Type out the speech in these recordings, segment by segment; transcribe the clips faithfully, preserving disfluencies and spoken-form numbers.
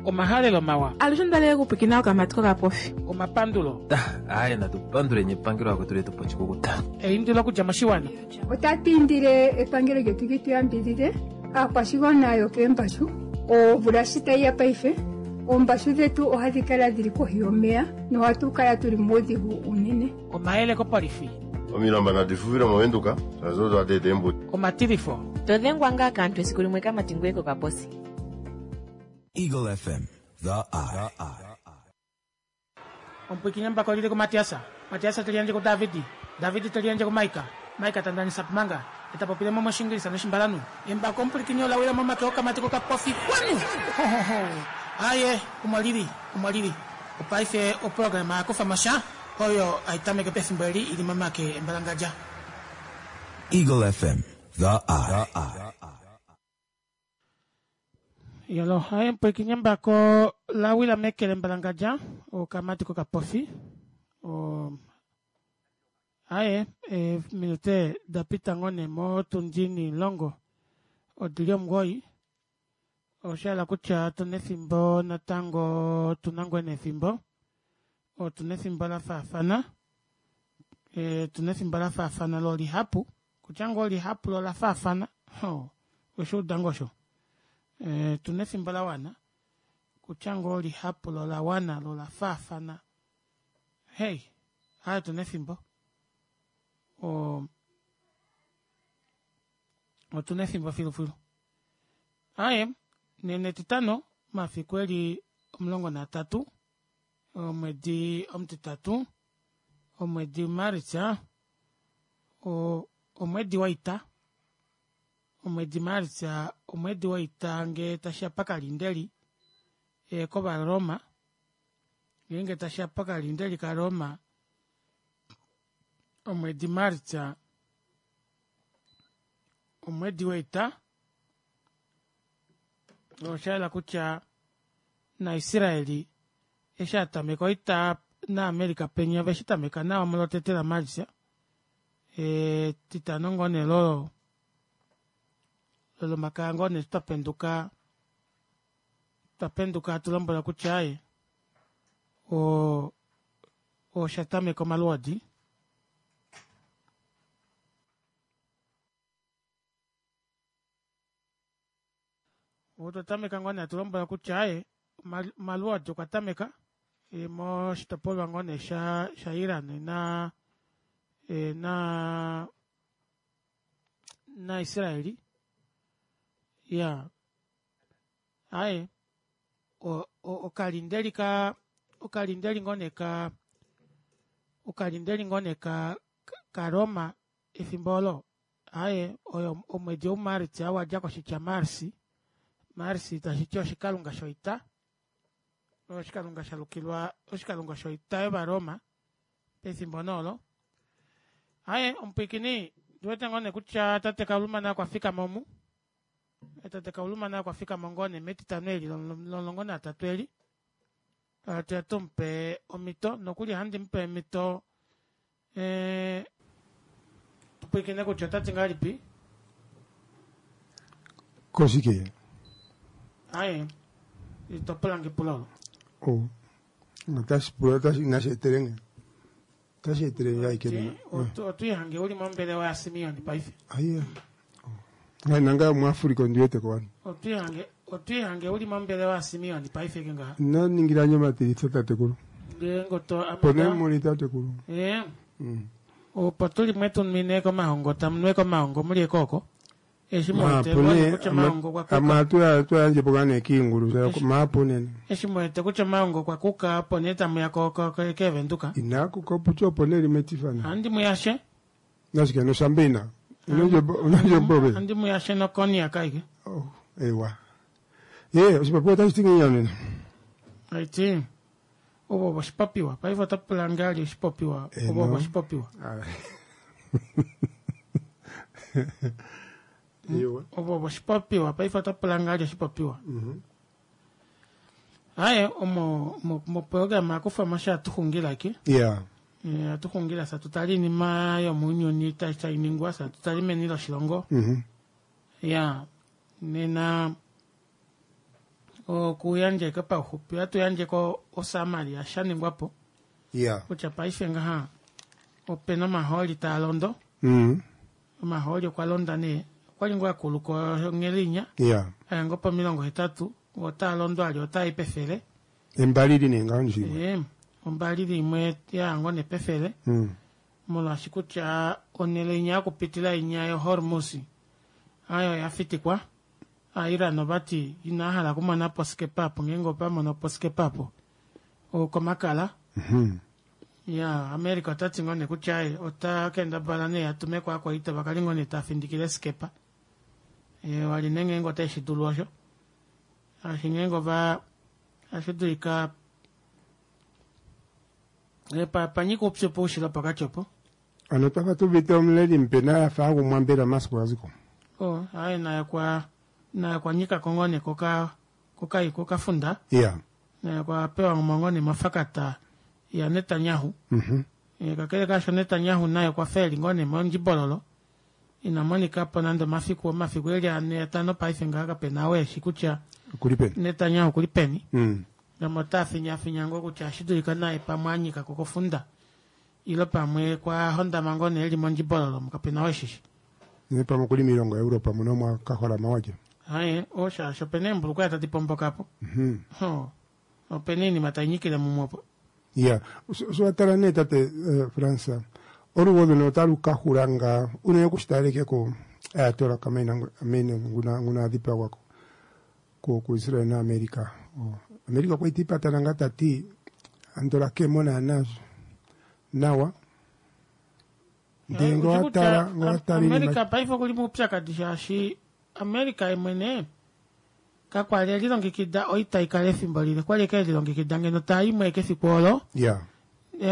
Omahalelo mawa. Alushe ondalele okupwikina okamati kokapofi. Omapandulo. Aye natupanduleni epangelo akwetu letu pochikukuta. Eindilo okudja moshiwana. Otatu indile epangelo lyetu li tu yambidhidhe aakwashigwana yokeembashu omvula shi tayi ya paife oombashu dhetu ohadhi kala dhili kohi yomeya nohatu kala tuli muudhigu unene. Omayele kopolifi. Omilamba nadi fufile movenduka shazo dwadeeta eembuto. Omatilifo. To dhengwa ngaa kaantu esiku limwe kamati ngoye kokaposi. Eagle F M, The Eye. Omupwikini mbako lili ku Matiasa. Matiasa teli yandje ku Davidi. Davidi teli yandje ku Maika. Maika tandanisa pumanga. Eta popile mo moshingilisa noshimbalanu. Embako omupwikini olawila momake okamati kokapofi. Kwanu! Ho, ho, ho. Aye, omo lili, omo lili. Opaife oprograma yakufa mosha oyo aitameke pefimbo eli ili momake embalangadja. Eagle F M, The Eye. Yolo, aye mpwikini embako lawila mekele embalangadja okamati kokapofi. O aye, e, minute dapita ngone mo tundini longo odili omugoi. Oshala kutya tuna efimbo natango tuna ngwene efimbo. Otuna efimbo la faafana. E, tuna efimbo la faafana lo lihapu. Kutya ngoo lihapu lo la faafana. Ho, oshuuda ngoo osho. E, tuna efimbo la wana. Kutya ngoo lihapu lo la wana lo la faafana. Hey, aye tuna efimbo. O, otuna efimbo filufilu. Aye, nene titano mafiku eli omulongo natatu omwedi omutitatu omwedi Maritsa o omwedi woita omwedi Maritsa omwedi woita nge tashiya pakalindeli e, kOvaroma ngeenge tashiya pakalindeli kaRoma omwedi Maritsa omwedi woita oshaela kutya naIsraeli eshi atameka oita naAmerica penya veshi tameka nawa molotete laMaritsa e, titano ngoo nee lolo lolomakaya ngoo nee twapenduka twapenduka hatu lombwela kutya aye o osha tameka omalwoodi. Otwa tameka ngoo nee hatu lombwela kutya aye omalwoodi okwa tameka e, moshitopolwa ngoo nee sha sha Iran na e, na na Israeli ya aye okalindeli ka okalindeli ngoo nee ka okalindeli ngoo nee ka ka Roma efimbo olo aye oyo omwedi ouMaritsa wadja koshitya Marsi. Marsi tashi ti oshikalunga shoita oshikalunga shalukilwa oshikalunga shoita yOvaroma pefimbo noolo. Aye omupwikini ndiwete ngoo nee kutya tate Kauluma okwa fikama omu. Tate Kauluma okwa fikama ngoo nee metitano eli lomulongo natatu eli. Atuya tumupe omhito nokuli ohandi mupe omhito e, tupwikine kutya otati ngahelipi. Koshike? Aye, itopulange epulo olo. Oh, otashi pula otashi inashi etelenge. Otashi etelenge ashike. Otwiihange uli mombelewa yaSimeon paife. Aye. Ngai nanga muAfrika ondiwete ko wano. Otwiihange otwiihange uli mombelewa yaSimeon paife ke ngaha. Naningilanye omatilitho tatekulu. Ngeenge oto Pone muli tatekulu. Eh. Opo tuli mwetumine komahongo tamunwe komahongo mulie kooko. Eshi mwete kutya maongo kwa kuka. Ama tu tu yandje po kane kiingulu maapo nene. Eshi mwete kutya maongo kwa kuka opo nee tamu ya ko ko kevenduka. Ina kuka pucho opo nee limetifana. Andi muyashe. Nashike no shambina. Unonje unonje bobe. Andi muyashe no konia kaike. Oh, ewa. Ye, oshipapiwa tashi ti nginya nena. Aiti. Obo oshipapiwa. Paife otapula ngali oshipopiwa. Obo oshipopiwa. Obo oshipopiwa. Paife otapula ngali oshipopiwa. Aye, omo mo programa akufa masha atuxungila ke. Yeah. Eh, atuxungila sa tutali inima yomunyuni tainingwa sa tutali meni loshilongo. Mhm. Ya. Nena Okuyandja pauxupi ohatu yandjeko osamari yashaningwapo Yeah. Kutya paife ngaha opena omahooli taa londo. Mm. Omahooli okwa londa nee okwali ngoo akuluka onghelinya Yeah. aya ngoo pomilongo hetatu otaa londo ali otai pefele. Embalili nee ngaho nje. Ee, ombalili imwe ya ngoo nepefele. Mm. Molwaashi kutya onhele inya yokupitila inya yoHormuz ayo yafitikwa. Iran ovati inahala okumona po skepa apo ngeenge opamono po skepa apo okomakala. Mm-hmm. Ya America otati ngoo nee kutya aye ota kendabala nee atume ko akwaita vakali ngoo nee tafindikile skepa. E, wali nee ngeenge otashi dulu osho. Ashi ngeenge ova ashi dulika e, pa panyika oupyu poushilo pokati opo. Ano twafa tuvite omuleli mupe naye afa agumwa mbela omasiku gaziko. Oh, aye naye kwa naye kwa nyika ko ngoo nee koka kokai kokafunda. Yeah. Naye kwa pewa ngoo nee mofakata ya Netanyahu. Mhm. E, kakele kaasho Netanyahu naye okwa fa eli ngoo nee mondjibololo. Ina monika po nande omafiku omafiku eli ane atano paife ngaha kapena ou eshi kutya Okuli peni. Netanyahu okuli peni. Mm. Namo ota finyafinya ngoo kutya ohashi dulika naye pamwe a nyika ko kofunda. Ile pamwe kwa hondama ngoo nee eli mondjibololo kapena ou eshishi. Ne pamwe okuli miilongo yaEuropa muno mwa kaholama walye. Aye, oshaasho opena eembulukweya tadi pomboka po. Mhm. Ho, opena oinima tainyikile mumwe opo. Yeah. So watala nee tate uh, Fransa olugodhi notalu ka hula ngaa unene okushitaleke ko Ayatollah Khamenei nguna nguna adhipagwa ko ku Israel na America. Oh. America okwa itipatana ngaa tati andola kemo naana nawa. Ndee ngo watala ngo watala America paife okuli moupyakadi shaashi America yemwene kakwali elilongekida oita ikale efimbo lile kwali eke elilongekida ngeno taimwe kefiku olo. Yeah.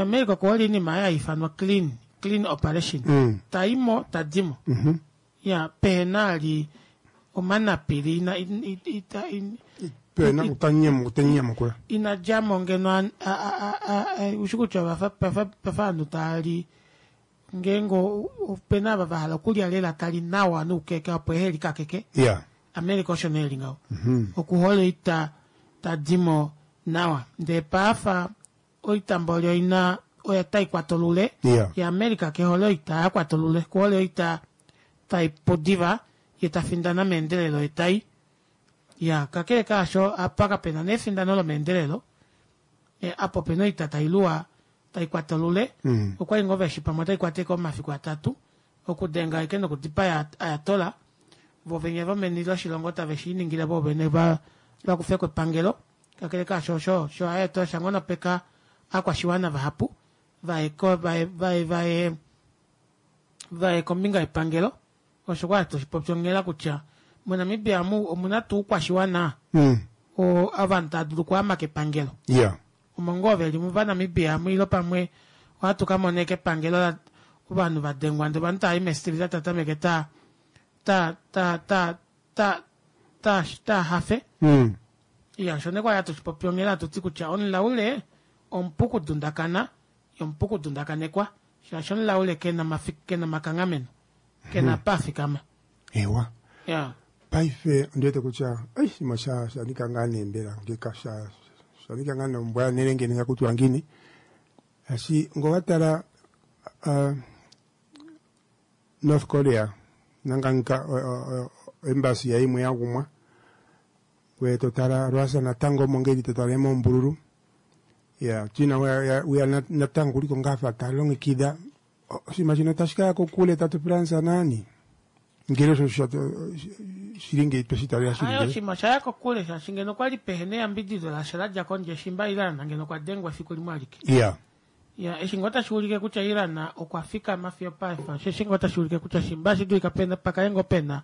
America okuhole oinima ya ifanwa clean clean operation. Mm. Taimo tadimo. Mhm. Ya pehena ali omanapili ina ita in, Pena utanyemu utanyemukula. ina djamo ngeno a- a- a- a- a- ushi kutya vafa vafa vafa ovanhu taali ngeenge opena ava vahala okulya lela tali nawa noukeka opo ehe likakeke. Yeah. America osho nee eli ngaho. Mhm. Okuhole oita tadimo nawa ndee paafa oita mboli oina oya taikwata olule. Yeah. Ya America kehole oita yakwata olule kuhole oita taipu diva ye tafindana meendelelo ye tai ya kakele kaasho apa kapena nefindano lomeendelelo e, apo opena oita tailuwa taikwata olule. Mm. Okwali ngoo veshi pamwe otaikwata eke omafiku atatu okudenga eke nokudipaya Ayatollah vo vene vomeni loshilongo tave shi ningile vo vene va vakufeko epangelo. Kakele kaasho osho sho Ayatollah shanghonopeka akwashiwana vahapu vaye ko vaye vaye vaye vaye kombinga yepangelo. Osho kwali toshipopi onghela kutya moNamibia omu omuna tuu oukwashiwana Mm. oo ovanhu tava dulu okuama kepangelo. Yeah. Omo ngoo veli muvaNamibia amu ile pamwe ohatu ka mona eke epangelo la ovanhu vadengwa ndee ovanhu tava i mestrita tatameke ta ta ta ta ta ta ta hafe. Mm. Iya, osho nee kwali hatu shipopi onghela hatu ti kutya omulaule omupu kudundakana ye omupu kudundakanekwa shaashi omulaule kena mafi kena makanghameno kena apa afikama. Ewa. Ya. Paife ondiwete kutya ai shima sha shanika ngaa nee mbela ngeka sha shanika ngaa nombwa nelenge ninga kutwa ngini. Ashi ngo watala uh, North Korea nanga embassy ya imwe yagumwa. We totala Russia natango mongeli totala mombululu. Ya China we we natango kuliko ngafa talongekida oshima shino tashi kaya kokule tatu Fransa nani. Ngele osho shilingi tweshitalila Ayo shilingi. oshima shaya kokule shaashi ngeno okwali pehena eyambidido lasha ladja kondje shimba Iran ngeno okwa dengwa efiku limwe alike. Yeah. Ya eshi ngoo tashi ulike kutya Iran okwa fikama fiyo paife osheshi ngoo tashi ulike kutya shimba shi dulika pena pakale ngoo pena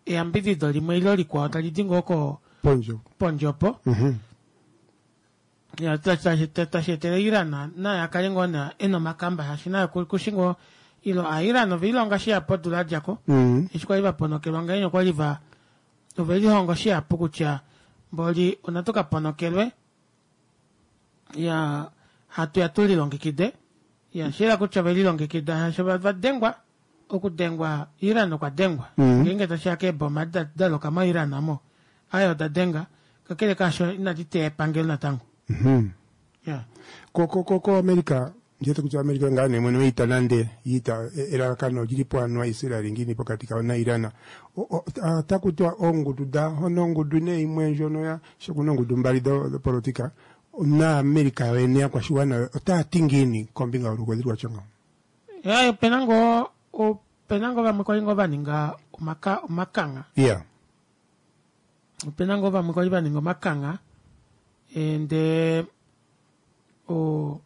eyambidido limwe ile likwao tali di ngoo ko Ponjo. pondje opo. Mhm. Ya tashi tashi etele Iran naye akale ngoo na ena omakamba shaashi naye kushi ngoo ilo a Iran oveilonga shihapu odula yadjako. Mm. Eshi kwali vaponokelwa ngahenya okwali va ovelihonga shihapu kutya mboli onatu kaponokelwe ya hatu ya tulilongekide. Ya shila kutya ovelilongekida shaashi vadengwa okudengwa Iran okwa dengwa. Mm. Ngeenge tashiya keeboma da daloka moIran amo ayo oda denga Kakele kaasho inadi teya epangelo natango. Mhm. Ya. Ko ko ko ko America njete kutya America ngaa nee mwene woita nande iita e- elalakano olili po anuwa Israel ngiini pokati kawo naIran. Otaku tiwa oongudu da hono ongudu nee imwe ndjono ya sho kuna oongudu mbali do- dopolotika naAmerica yoyene yakwashiwana otaya ti ngiini kombinga yolugodhi lwatya ngawo. Ya, opena ngoo opena ngoo vamwe kwali ngoo vaninga omaka omakangha. Yeah. Opena ngoo vamwe kwali vaninga omakangha ndee o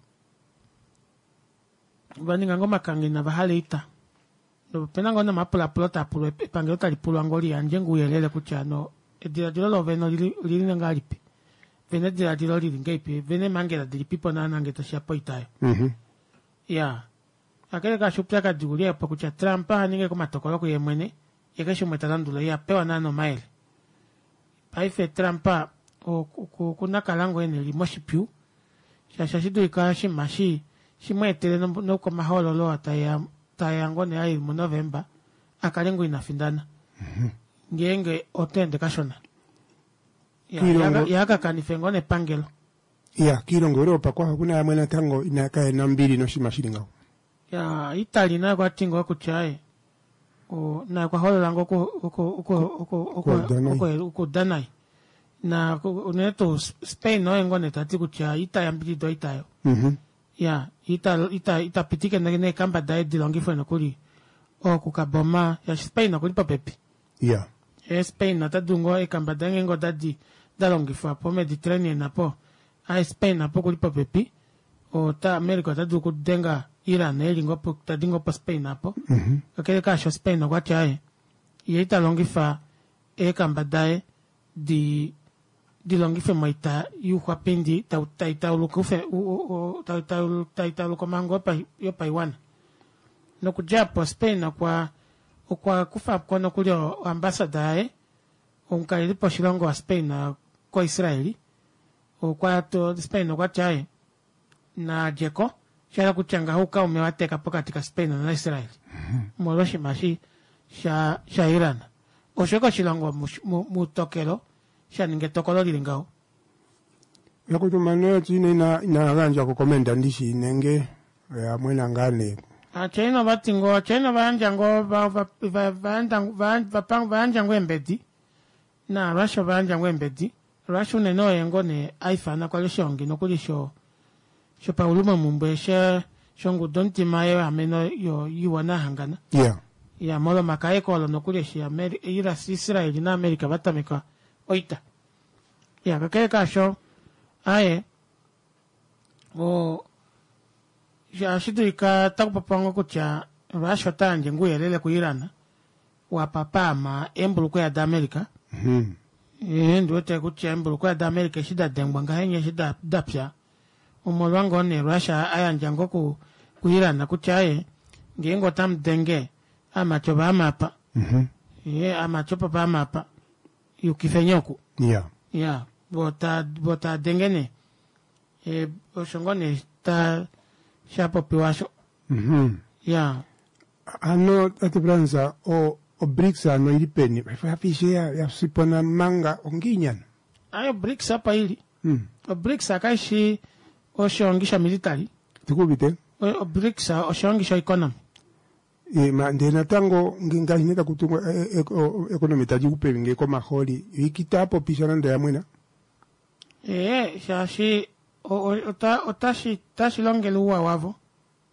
vaninga ngoo omakangha inava hala oita. Opena ngoo nomapulaapulo taapulwa epangelo tali pulwa ngoo liyandje ngoo ouyelele kutya hano edilaadilo loovene olili olili ngahelipi, vena edilaadilo lili ngahelipi, vena eemhangela dilipipo naana ngee tashiya poita aayo. Mhm. Iyaa, kakele kaasho oupyakadi ouli opo kutya Trump ohaningi ashike omatokolo kuye mwene yee keshe umwe talandula ihapewa naana omayele. Paife Trump okuna kala ngoo eli moshipyu shaashi ohashi dulika oshinima eshi shimweetele nokomahoololo oo taeya taeya ngoo nee ali mu November akale ngoo ina findana ngeenge ota ende kashona. Kiilongo- Ye akakanife ngoo nepangelo. Ya, kiilongo Europa kwa okuna yamwe natango ina kayena ombili noshinima shili ngaho. Ya, Italy naye okwati ngoo kutya aaye o naye okwa holola ngoo oku- oku- oku- oku- oku- Okuuda nai. oku- okuuda nai. Na unene tuu Spain oye ngoo nee tati kutya ita yambidida oita oyo. Mhm. Ya, ita ita ita pitike neekamba daye dilongifwe nokuli okukaboma shaashi Spain okuli popepi. Ya. Ee Spain ota dulu ngoo eekamba daye ngeenge odadi dalongifwa po Mediterranean apo, aye Spain apo okuli popepi, ota America ota dulu okudenga Iran eli ngoo po tadi ngoo po Spain apo. Kakele kaasho Spain okwati aaye yee ita longifa eekamba daye di dilongifwe moita youxwapindi tai tauluka tai tauluka omhango yopaiwana. Nokudja opo Spain okwa okwa kufako nokuli oambassador yaye omukalelipo woshilongo wa Spain ko Israel okwa Spain okwati aaye nadjeko shahala kutya ngaho oukaume wateka pokati ka Spain na Israel molwa oshinima eshi sha sha Iran. Osho ashike oshilongo moutokelo shaninga etokolo lili ngaho. Yakutu mano China ina ina gandja ko komenda ndishi nenge yamwena ngaa nee. China ovati ngoo China ovayandja ngoo va- va- va- vayandja va- vayandja ngoo eembedi na Russia ovayandja ngoo eembedi. Russia unene oye ngoo nee aifana kwali oshihongi nokuli sho shopaulumomumbwe she shongudu omutima yeameno yoiwana yahangana. Yeah. Ya molomakaeko olo nokuli eshi Ameri- Israel na America vatameka oita. Ya kakele kaasho aaye o ohashi dulika takupopiwa ngoo kutya Russia ota yandje ngoo ouyelele ku Iran wapapaama eembulukweya da America. Mhm. Ee ndiwete kutya eembulukweya da America eshi dadengwa ngahenya eshi da dapya omolwa ngoo nee Russia ayandja ngoo ku ku Iran kutya aaye ngeenge otamudenge aamati ovaama apa. Mhm. Ee aamati opo paama apa yukifeni oku. Yeah. Ya, voo taa denge nee. E, osho ngoo nee ta shapopiwa osho. Mhm. Ya. Ano tate Frans o o BRICS ano ili peni yafiishe ya yasipona manga ongiinyana. Ayo BRICS apa ili. Mm. O BRICS akaishi oshihongi sha military. Tikuvite. O BRICS oshihongi sho economy. E, ma ndee natango ngaashi nee taku tungwa e, e, o- economy tadi kupevi ngee komahooli ikita popisha nande yamwena. Ee, shaashi ota otashi otashi longele ouwa wavo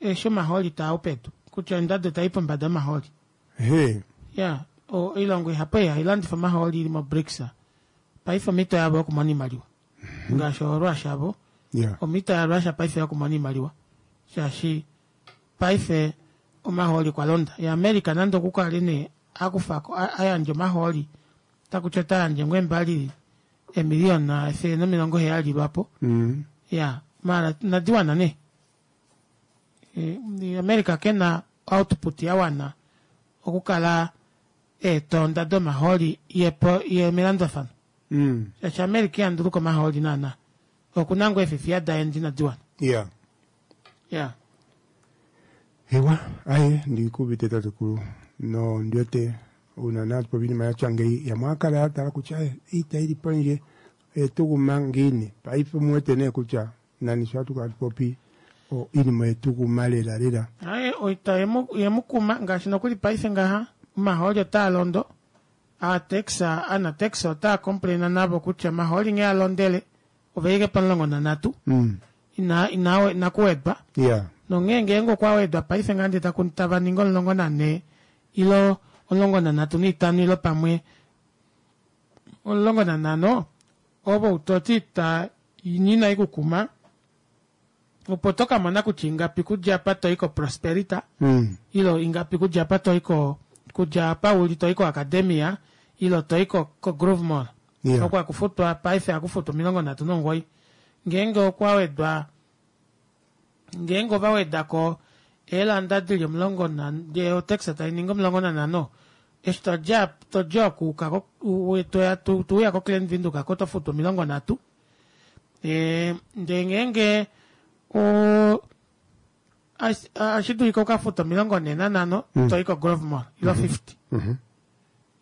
eshi omahooli taa u pedu kutya ondado tai pombada omahooli. He. Ya, oilongo ihapu ei hailandifa omahooli ili mo BRICS paife omhito yavo yokumona oimaliwa. Ngaashi oRussia avo. Yeah. Omhito yaRussia paife yokumona oimaliwa shaashi paife omahooli kwa londa. Ya America nande okukale nee akufako ayandje omahooli takutya ota yandje ngoo eembali emiliyona efele nomilongo heyali lwapo. Mm. Ya, maala inadi wana nee. E, America kena output yawana okukala eetonda domahooli yepo ye melandulafano. Mm. Shaashi America iha nduluka omahooli naana. Okuna ngoo eefifiya daye inadi wana. Yeah. Ya. Ewa, aye ndikuvite tatekulu no ndiwete una natu povinima yatya ngeyi yamwe akala yatala kutya aye iita ili pondje Oye tu guma ngiini paife omuwete nee kutya nani sho hatu kala tupopi iinima oye tu guma lela lela. Aye oita yemukuma ngaashi nokuli paife ngaha omahooli otaa londo aatex anatex otaa complaina navo kutya omahooli nghee alondele oveike pomulongo nanhatu Mm. ina ina inakuwedwa Yeah. nonghee ngeenge okwa wedwa paife ngaha ndee taku tava ningi omulongo nanhee ilo omulongo nanhatu naitano ilo pamwe omulongo nanhano ovo utoti ita ina ikukuma opo tokamona kutya ingapi kudja apa toi koprosperita Mm. ilo ingapi kudja apa toi ko kudja apa uli toi koacademia ilo toi ko, ko groove mall Yeah. oko akufutwa paife akufutwa omilongo nhatu nomugoyi ngeenge okwa wedwa ngeenge ova wedako eelanda dili omulongo na ndee otax tainingi omulongo nanhano eshi todja todja okuuka ko- u- toya tu- tuuya ko Klein Windhoek ako tofutu omilongo nhatu ee ndee ngeenge o ashi dulika ukafuta omilongo nhee nanhano Mm. toi ko Grove Mall ilo fifty Mhm.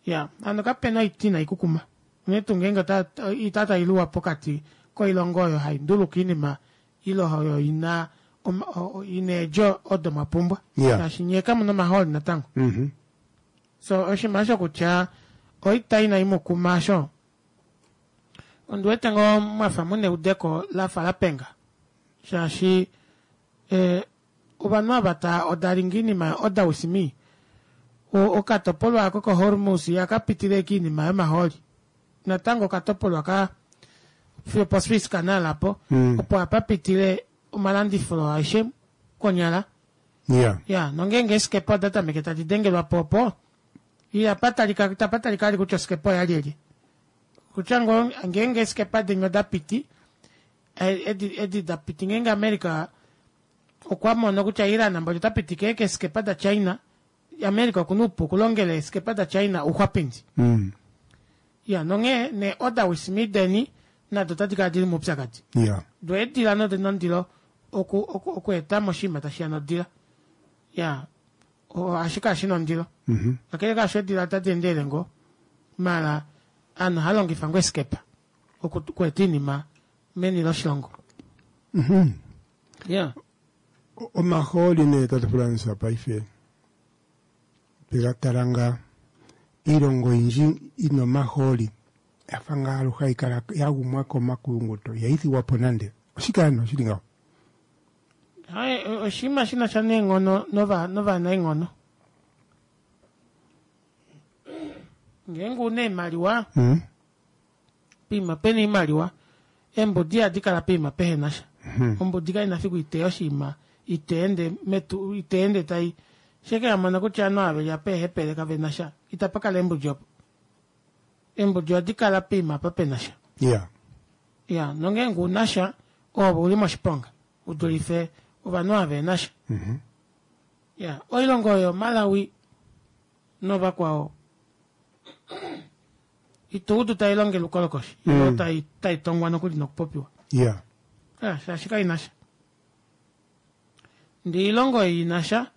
ya hano kapena oiti inaikukuma unene tuu ngeenge ota- ita tailuwa pokati koilongo oyo hainduluka oinima ile oyo ina oma- o- o- ina eedjo odo mwapumbwa Yeah. shaashi nyee kamuna omahooli natango Mhm. so oshinima osho kutya oita inaimukuma asho ondiwete ngoo mwafa muna eudeko lafa lapenga shaashi eh, ovanhu ava ta odalinga oinima oda wisimi okatopolwa ako kohormus yakapitile kiinima yomahooli natango okatopolwa ka fiyo poswiss canal apo Mm. opo apapitile omalandifilo aeshe konyala Yeah. ya nongeenge esikepa oda tameke tadi dengelwa po opo iyapatalika tapatalika ali kutya osikepa oya lyelye kutya ngo ngeenge esikepa dinya oda piti eh, edi edi da piti ngeenge America okwa mono kutya Iran mboli ota pitike keesikepa da China America okuna oupu okulongela eesikepa da China ouxwapindi Mm. ya nonghee ne oda wismideni nado otadi kala dili moupyakadi Yeah. do eedila nodina ondilo oku oku okweeta mo oshinima tashiya nodila ya ohashi kala shina ondilo Mhm. kakele kaasho eedila otadi endelele ngoo maala aanhu ohalongifa ngoo esikepa oku- okweeta oinima meni loshilongo Mhm. ya O- omahooli nee tatu fulanisa paife tega nga iilongo oyindji ina omahooli yafa ngaa aluhe hayi kala ya gumwa komakuyunguto ihayi thigwa po nande oshike ano shili ngaho Hai, oshinima shina sha neenghono nova novanaenghono ngeenge una oimaliwa Mm. poima pena oimaliwa eembudi ihadi kala poima pehena sha Mhm. ombudi kaina fiku iteya oshinima iteende metu iteende tai sheke yamona kutya ovanhu ava veli apa eehepele kavena sha itapa kala eembudi opo eembudi ohadi kala poima apa pena sha Yeah. ya nongeenge una sha ove uli moshiponga udulife ovanhu ava vena sha Mhm. ya oilongo oyo Malawi novakwao ito udu tailongele ukolokoshi Mm. ilo tai taitongwa nokuli nokupopiwa Yeah. Ah, shaashi kaina sha ndee oilongo ei ina sha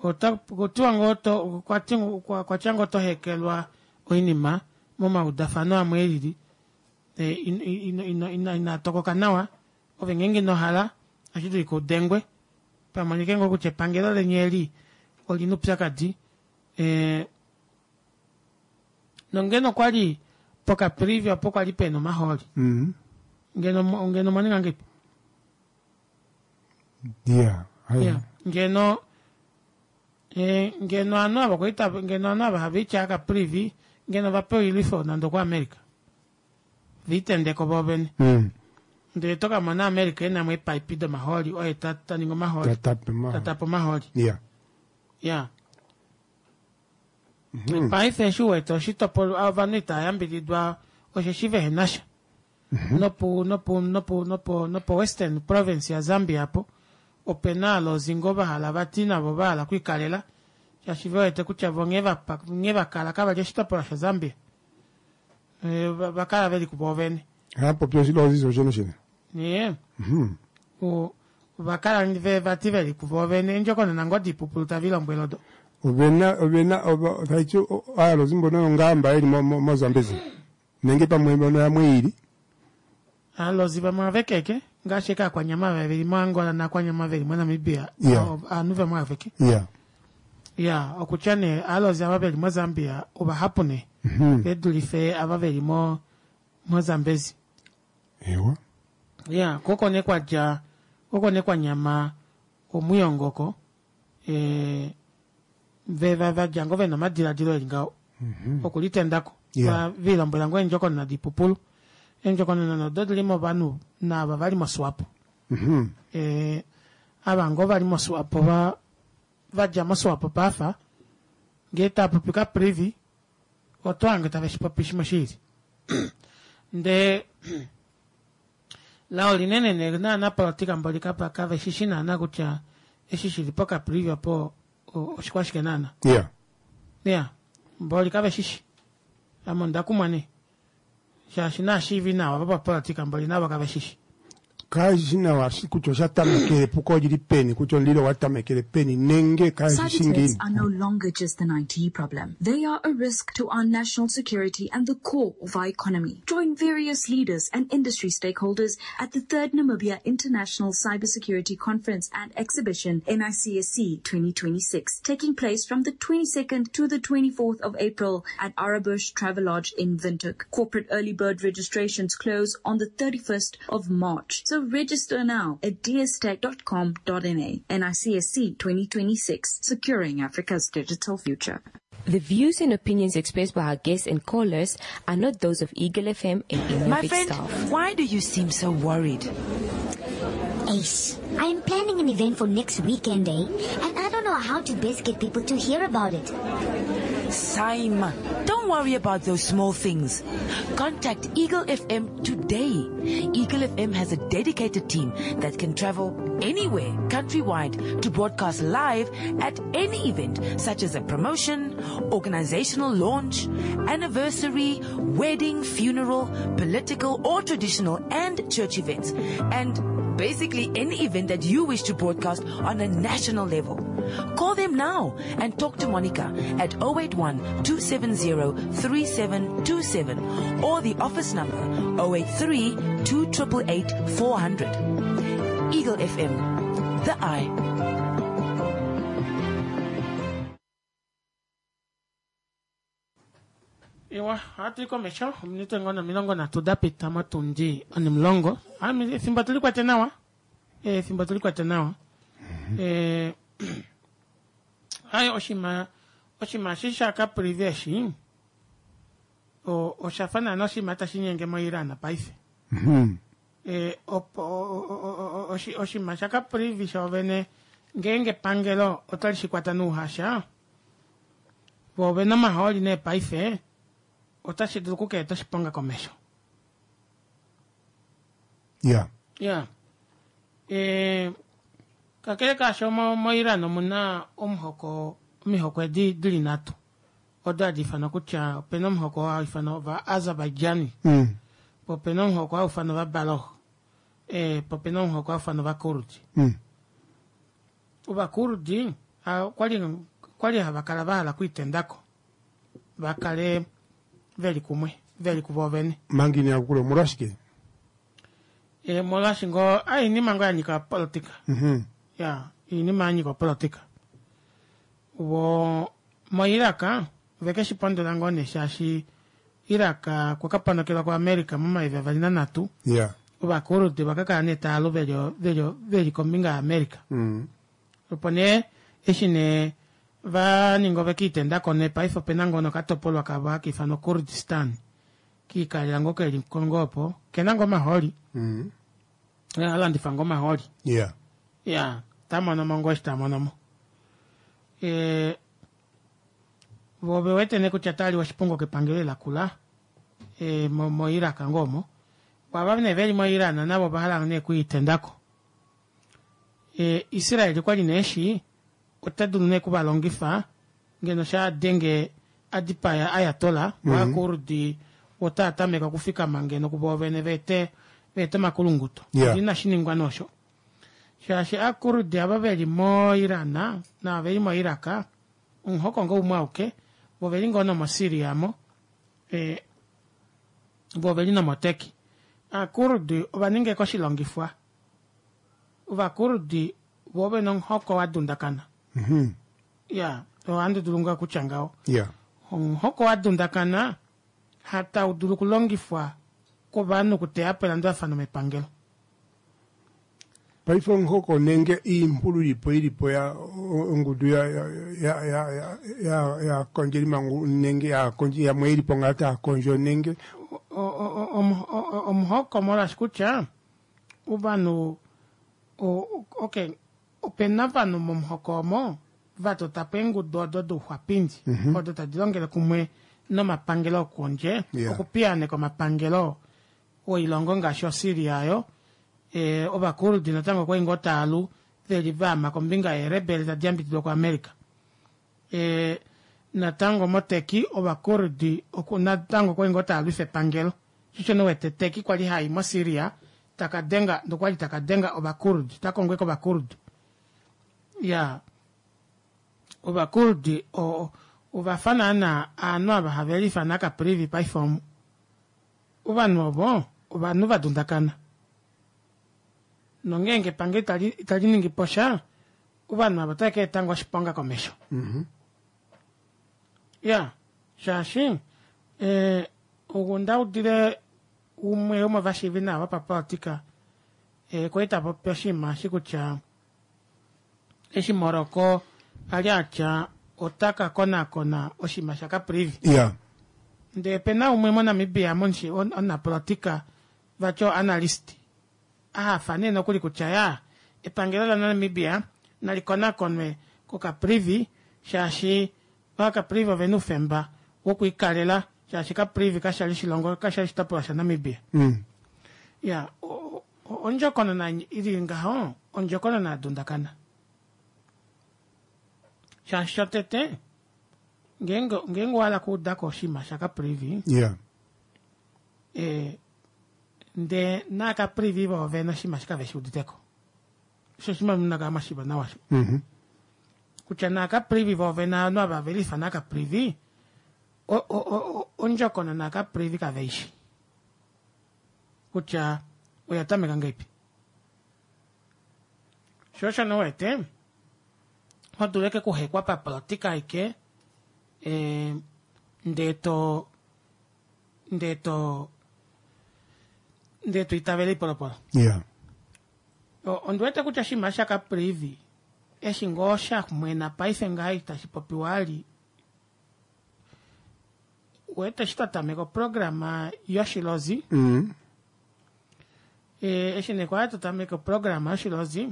ota kutiwa ngoo to kwati- kwa- kwatya ngoo tohekelwa oinima momaudafano amwe elili eh, in- in- ino- ino- inatokoka nawa ove ngeenge inohala ohashi dulika udengwe pamonike ngoo kutya epangelo leni eli olina upyakadi eh, nongeno kwali pokaprivi opo kwali pena omahooli Mhm. ngeno ngeno mwaninga ngeipi Yeah. Hai. Yeah. ngeno eh, ngeno ovanhu ava kwali tava- ngeno ovanhu ava have itya akaprivi ngeno vapewa oilwifo nande okuAmerica viitendeko voovene Mm. ndele tokamona America enamo eepaipi domahooli oye ta- taningi omahooli Tatape mahooli. tatape omahooli Yeah. ya Mhm. paife eshi uwete oshitopolwa ovanhu itayambididwa osheshi vehena sha nopu nopu nopu nopo nopo western province ya Zambia apo opena alozingo vahala vati navo vahala okwiikalela shaashi vewete kutya vo nghee vapa- nghee vakala kavali oshitopolwa sha Zambia Eh, va- vakala veli kuvo vene Hapopi oshilozi shoshene shene. ye Mhm. O- vakala ve vati veli kuvo vene endjokonona ngoo dipupulu tavilombwela odo Ovena ovena ova taiti aalozi mbono yongamba yeli mo- mo- moZambezi nenge pamwe mbono yamwe ili. Aalozi vamwe avekeke ngaashi eke aakwanyama veli moAngola naakwanyama veli moNamibia Yeah. ovanhu vamwe aveke. Ya. Ya, okutya nee aalozi ava veli moZambia ovahapu nee Mhm. vedulife ava veli mo moZambezi. Ewa. Ya, koko nee kwadja koko nee kwanyama omuyongoko eh, ve va vadja ngoo vena omadiladilo eli ngaho okulitendako. Yeah. Va vilombwela ngoo eendjokonona dipupulu. Eendjokonona odo dili movanhu naava vali moSwapo. Mhm. Eh, ava ngoo vali moSwapo va vadja moSwapo pafa ngee taapopi Caprivi oto hange tave shipopi shimwe shiili. Ndee lao linene nee naanapolitika mboli kapa kave shishi naana kutya eshi shili poCaprivi opo oshikwashike naana. Ya. Ya, mboli kave shishi. Ame onda kumwa nee. Shaashi naashiivi nawa vopapolitika mboli navo kave shishi. Kashi nawa shi kutya osha tamekele epuko olili peni, kutya omulilo owa tamekele peni nenge kashi shi Cyber threats ngiini. are no longer just an I T problem. They are a risk to our national security and the core of our economy. Join various leaders and industry stakeholders at the third Namibia International Cybersecurity Conference and Exhibition, N I C S C twenty twenty-six, taking place from the twenty-second to the twenty-fourth of April at Arebbusch Travelodge in Windhoek. Corporate early bird registrations close on the thirty-first of March. So register now at d s tech dot com dot n a. N I C S C twenty twenty-six, securing Africa's digital future. The views and opinions expressed by our guests and callers are not those of Eagle F M and any My of its friend, staff. Why do you seem so worried? Ace, I am planning an event for next weekend, eh? And I don't know how to best get people to hear about it. Saima, don't worry about those small things. Contact Eagle F M today. Eagle F M has a dedicated team that can travel anywhere countrywide to broadcast live at any event, such as a promotion, organizational launch, anniversary, wedding, funeral, political or traditional and church events, and basically any event that you wish to broadcast on a national level. Call them now and talk to Monica at oh eight one, two seven zero, three seven two seven or the office number oh eight three, two triple eight, four hundred. Eagle F M, the eye. Ewa, ohatu i komesho ominute ngoo nomilongo nhatu da pita motundi onimulongo. Ami, efimbo tuli kwate nawa. Eh, efimbo tuli kwate nawa. Eh, ayo oshima, oshima eshi sha Caprivi eshi, o-, osha fa naana oshima tashi nyenge moIran paife. Mhm. Eh, opo, o-, o-, o-, o-, oshi-, oshima sha Caprivi shoovene, ngeenge epangelo otali shi kwata nouhasha, vo ovena omahooli nee paife, otashi dulu okukeeta oshiponga komesho. Ya. Ya. Eh, kakele kaasho mo-, moIran omuna omuhoko, omihoko edi dili nhatu. Odo hadi ifanwa kutya opena omuhoko hau ifanwa Ovaazerbaijani. Mm. Po opena omuhoko hau ifanwa Ovabalog. Eh, po opena omuhoko hau ifanwa Ovakurdi. Mm. Ovakurdi, ah, okwali, okwali hava kala va hala okuitendako. Va kale veli kumwe, veli kuvo vene. Manga ina kukula, omolwashike? Eh, molwaashi ngoo, ah, oinima ngoo ya nyika politika. Mhm. Ya, oinima ya nyika politika. Vo, moIraq, veke shi pondola ngoo nee shaashi Iraq okwa ka ponokelwa kuAmerica momayovi avali nanhatu. Ya. Ovakurdi vaka kala nee tava lu veli, veli, veli kombinga yaAmerica. Mm. Opo nee, eshi nee va ninga ove kiitendako nee paife opena ngoo nokatopolwa kavo haka ifanwa Kurdistan. Kiikalela ngoo keli kongo opo, kena ngoo omahooli. Mm. A landifa ngoo omahooli. Ya. Ya, ta mono mo ngoo eshi ta mono mo. Eh, vo ve wete nee kutya tali oshipongo kepangelo lakula, eh, mo-, moIraq ngoo omo. Ava nee veli moIran navo ova hala nee okuitendako. Eh, Israel okwali nee eshi, ota dulu nee okuvalongifa, ngeno sha denge a dipaya Ayatollah, Mhm. Ovakurdi otaa tameka okufikama ngeno kuvo vene vete, vete omakulunguto. Yeah. Inashi ningwa nosho. Shaashi Aakurdi ava veli moIran nava veli moIraq, omuhoko ngoo umwe auke, vo veli ngoo nomoSyria mo, eh, vo veli nomoTurkey. Aakurdi ova ninga oshilongifwa. Ovakurdi vo vena omuhoko wa dundakana. Mhm. Ya, ohandi dulu ngoo kutya ngaho. Yeah. Omuhoko wa dundakana hatau dulu okulongifwa kovanhu okuteya po elandulafano mepangelo. Paife omuhoko nenge iimpulu ilipo ilipo ya ongudu ya ya ya ya ya ya kondjeli mangu nenge ya kondji yamwe ilipo ngaa taa kondjo nenge O- o- o- o- omuhoko molwaashi kutya ovanhu o- okay opena ovanhu momuhoko omo va tota po eengudu odo douxwapindi Mhm. odo tadi longele kumwe nomapangelo okondje Yeah. okupiyaaneka omapangelo oilongo ngaashi oSyria ayo e, ovakurdi natango okwali ngoo taalu veli vaama kombinga yeerebele tadi yambididwa kuAmerica. E, natango moTurkey ovakurdi oku- natango okwali ngoo taalwifa epangelo sho nowete Turkey kwali hai moSyria taka denga nokwali taka denga ovakurdi takongwe kovakurdi ya ovakurdi o- ovafa naana aanhu ava have liifana Caprivi paife omu ovanhu ovo ovanhu va dundakana nongeenge epangelo itali itali ningi po sha ovanhu ava otava ka eta ngoo oshiponga komesho. Mhm. Ya shaashi eh, onda udile umwe womovashiivi nawa vopapolitika eh, kwali tapopi oshinima eshi kutya eshi Morocco ali atya otaka konakona oshinima shaCaprivi. Yeah. Ndee pena umwe moNamibia momushi omunapolitika vati oanalyst ahafa nee nokuli kutya ya epangelo laNamibia nali konakonwe koCaprivi shaashi vaCaprivi ovena oufemba wokwiikalela shaashi Caprivi kashali oshilongo kashali oshitopolwa shaNamibia. Mm. Ya o- o- ondjokonona ili ngaho ondjokonona ya dundakana shaashi shotete ngeenge ngeenge owahala okuudako oshinima shaCaprivi Yeah. eh, ndee naaCaprivi voovene oshinima eshi kave shi uditeko. Osho oshinima munakala mwashiiva nawa osho. Mhm. Kutya naaCaprivi voovene ovanhu ava ve liifana Caprivi o- o- o- ondjokonona yaCaprivi kave ishi kutya oya tameka ngahelipi. Sho osho nee uwete ho dulu ashike okuhekwa papolitika aike eh, ndee to ndee to ndee to itavele oipolopolo. Yeah. O- Ondiwete kutya oshinima shaCaprivi eshi ngoo shamwena paife ngaha itashi popiwa ali wete eshi twa tameka oprograma yoshilozi Mm. e, eshi nee kwali twa tameka oprograma yoshilozi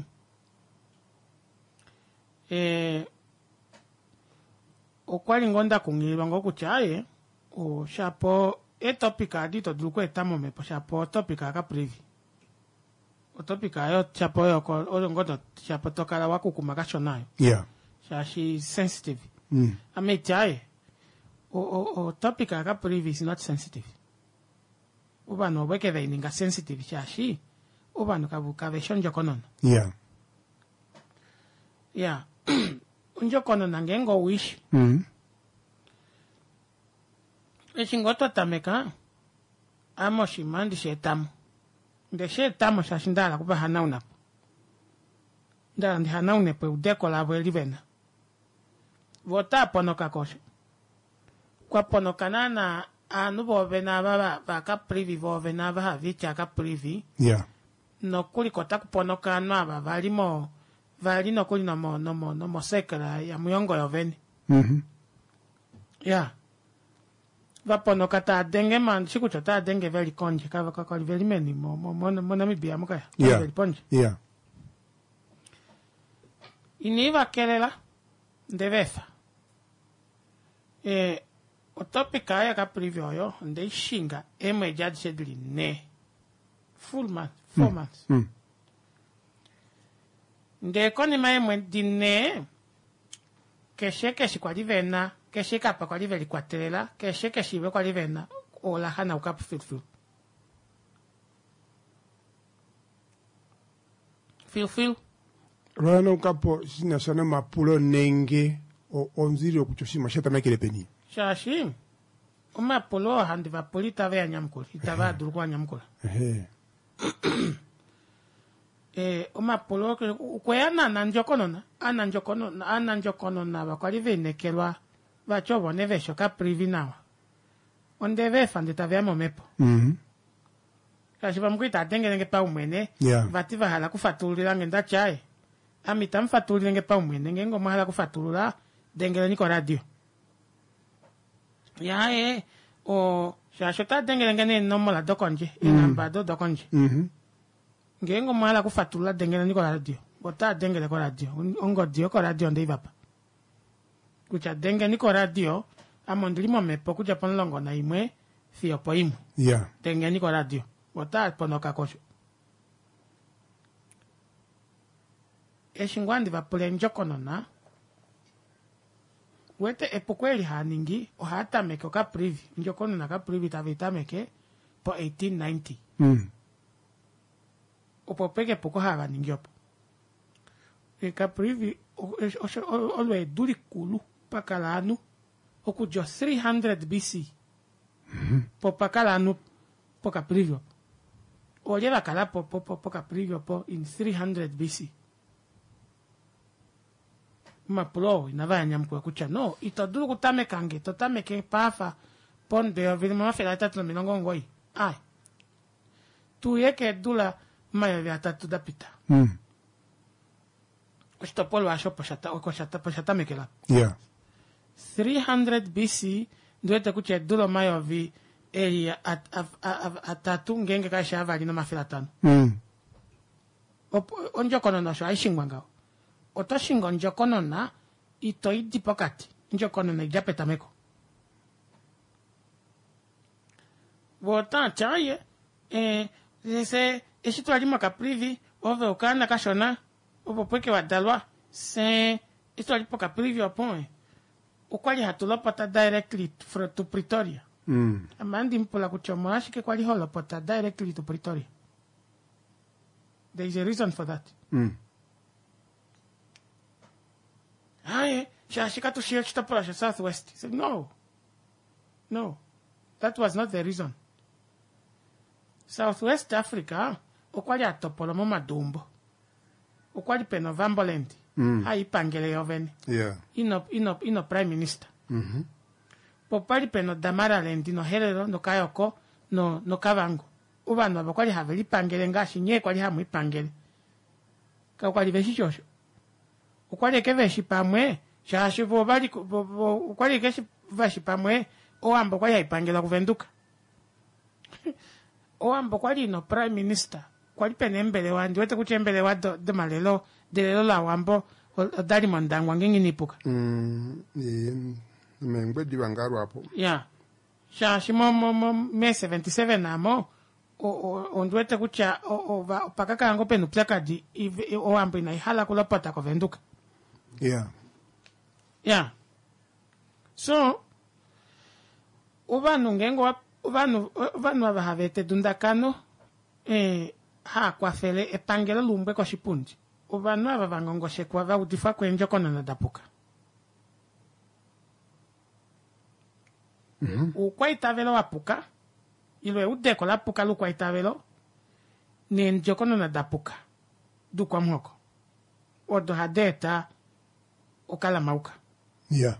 e, okwali ngoo ndakunghililwa ngoo kutya aye o, shapo etopic adi ito dulu okweeta momhepo shapo otopic yaCaprivi otopic ayo shapo oyo ko- oyo ngoo to- shapo tokala wakukuma kashona ayo Yeah. shaashi sensitive. Mm. Ame iti aye o- o- o topic yaCaprivi is not sensitive. Ovanhu ovo eke veininga sensitive shaashi ovanhu kave kaveshi ondjokonona. Yeah. Ya ondjokonona ngeenge ouishi Mm. eshi ngoo twa tameka ame oshinima handi shi etamo nde shi etamo shaashi ndahala okuvahanaunapo ndahala ndihanaunepo eudeko lavo eli vena vo otaa ponoka kosho kwa ponoka naana aanhu voovene ava va- vaCaprivi voovene ava haviiti aCaprivi Yeah. nokuli ko otaku ponoka ovanhu ava vali mo vali nokuli nomo nomo nomosekela yaMuyongo yovene. Mhm. Ya vaponoka taa denge mandishi kutya otaa denge veli kondje kava kakali veli meni mo- mo- mo- moNamibia mukaya Yeah. veli pondje Yeah. inii vakelela nde veefa e, otopic ayo yaCaprivi oyo ondeishinga eemwedi adishe dili nhee full month four Mm. months Mm. ndee konima yeemwedi nhee keshe keshe kwali vena keshe kapa kwali velikwatelela keshe keshive kwali vena ola hanaukapo filufilu filufilu. Lwanaukapo shina sha nomapulo nenge o- onzililo kutya oshinima osha tamekele peni. Shaashi Omapulo oo handi va pula itave a nyamukula, itava dulu okuanyamukula. Ehe. Eh, omapulo okweya naanandjokonona aanandjokonona aanandjokonona vakwali veinekelwa vati ovo nee veshi okaprivi nawa onde veefa ndee taveya momhepo Mhm. shaashi vamwe okuli tava dengelenge paumwene Yeah. vati vahala okufatululilange ndati aaye ame itamu fatululilenge paumwene ngeenge omwahala okufatulula dengeleni koradio yaye o shaashi ota dengelenge neenomola dokondje eenamba ado dokondje Mhm. ngeenge omwahala okufatulula dengeleni koradio otaa dengele koradio ongodi yokoradio ondeivapa kutya dengeni koradio ame ondili momhepo okudja pomulongo naimwe fiyo poimwe Yeah. dengeni koradio otaa ponoka kosho eshi ngoo handi vapula endjokonona wete epuko eli haaningi ohaa tameke okaprivi ondjokonona kaprivi tave itameke po eighteen ninety Mm. opo peke epuko hava ningi opo E, kaprivi o- osho- olo olo edu likulu pakala ovanhu okudja three hundred B C po pakala ovanhu pokaprivi opo olye vakala po po- po- pokaprivi opo in three hundred B C omapulo oo inava yanyamukula kutya no ito dulu okutameka nge to tameke paafa ponde yovi limwe omafele ahetatu nomilongo omugoyi ai tuye keedula omayovi atatu dapita Mm. oshitopolwa osho opo shata- oko shata- opo shatamekela Yeah. three hundred B C ndiwete kutya eedula omayovi eli at- a- a- a- atatu ngeenge kaeshi avali nomafele atano Mm. opo ondjokonona osho haishingwa ngaho oto shingi ondjokonona ito idi pokati ondjokonona idja petameko vo otaati aye eh, se eshi twali mokaprivi ove okaana kashona opo pweke wadalwa se eshi twali pokaprivi opo eh, okwali hatu lopota directly fro- to Pretoria. Mm. Ame andi mupula kutya omolwashike kwali holopota directly to Pretoria. There is a reason for that. Mm. Aye, shaashi katushi oshitopolwa sha South West. I said, no. No. That was not the reason. South West Africa okwali atopolwa momadumbo. Okwali pena Ovamboland. Mm. Haipangele yovene. Yeah. Ino, ino, ino prime minister. Mhm. Po pali pena oDamaraland noHerero noKayoko no, noKavango. Ovanhu ava okwali have lipangele ngaashi nyee kwali hamu ipangele. Kakwali veshi osho. Okwali eke veshi pamwe shaashi vo vali vo- vo- okwali eke shi- veshi pamwe Owambo okwali haipangelwa kuVenduka. Owambo okwali ino prime minister. Kwali pena eembelewa ndiwete kutya eembelewa do- domalelo delelo lawambo odali mOndangwa ngeenge inipuka. Mm. Eh, Mengwediva ngalwapo. Ya shaashi mo mo mo me seventy seven amo o- o- ondiwete kutya o- ova- opakakala ngoo pena upyakadi ive- Owambo inaihala kulopota koVenduka. Yeah. Ya so ovanhu ngeenge wa- ovanhu ovanhu ava hava eta edundakano eh, haa kwafele epangelo luumbwe koshipundi ovanhu ava vangongoshekwa va udifwa kweendjokonona dapuka. Oukwaitavelo wapuka ilo eudeko lapuka loukwaitavelo neendjokonona dapuka doukwamuhoko odo hadi eta okalamauka. Yeah.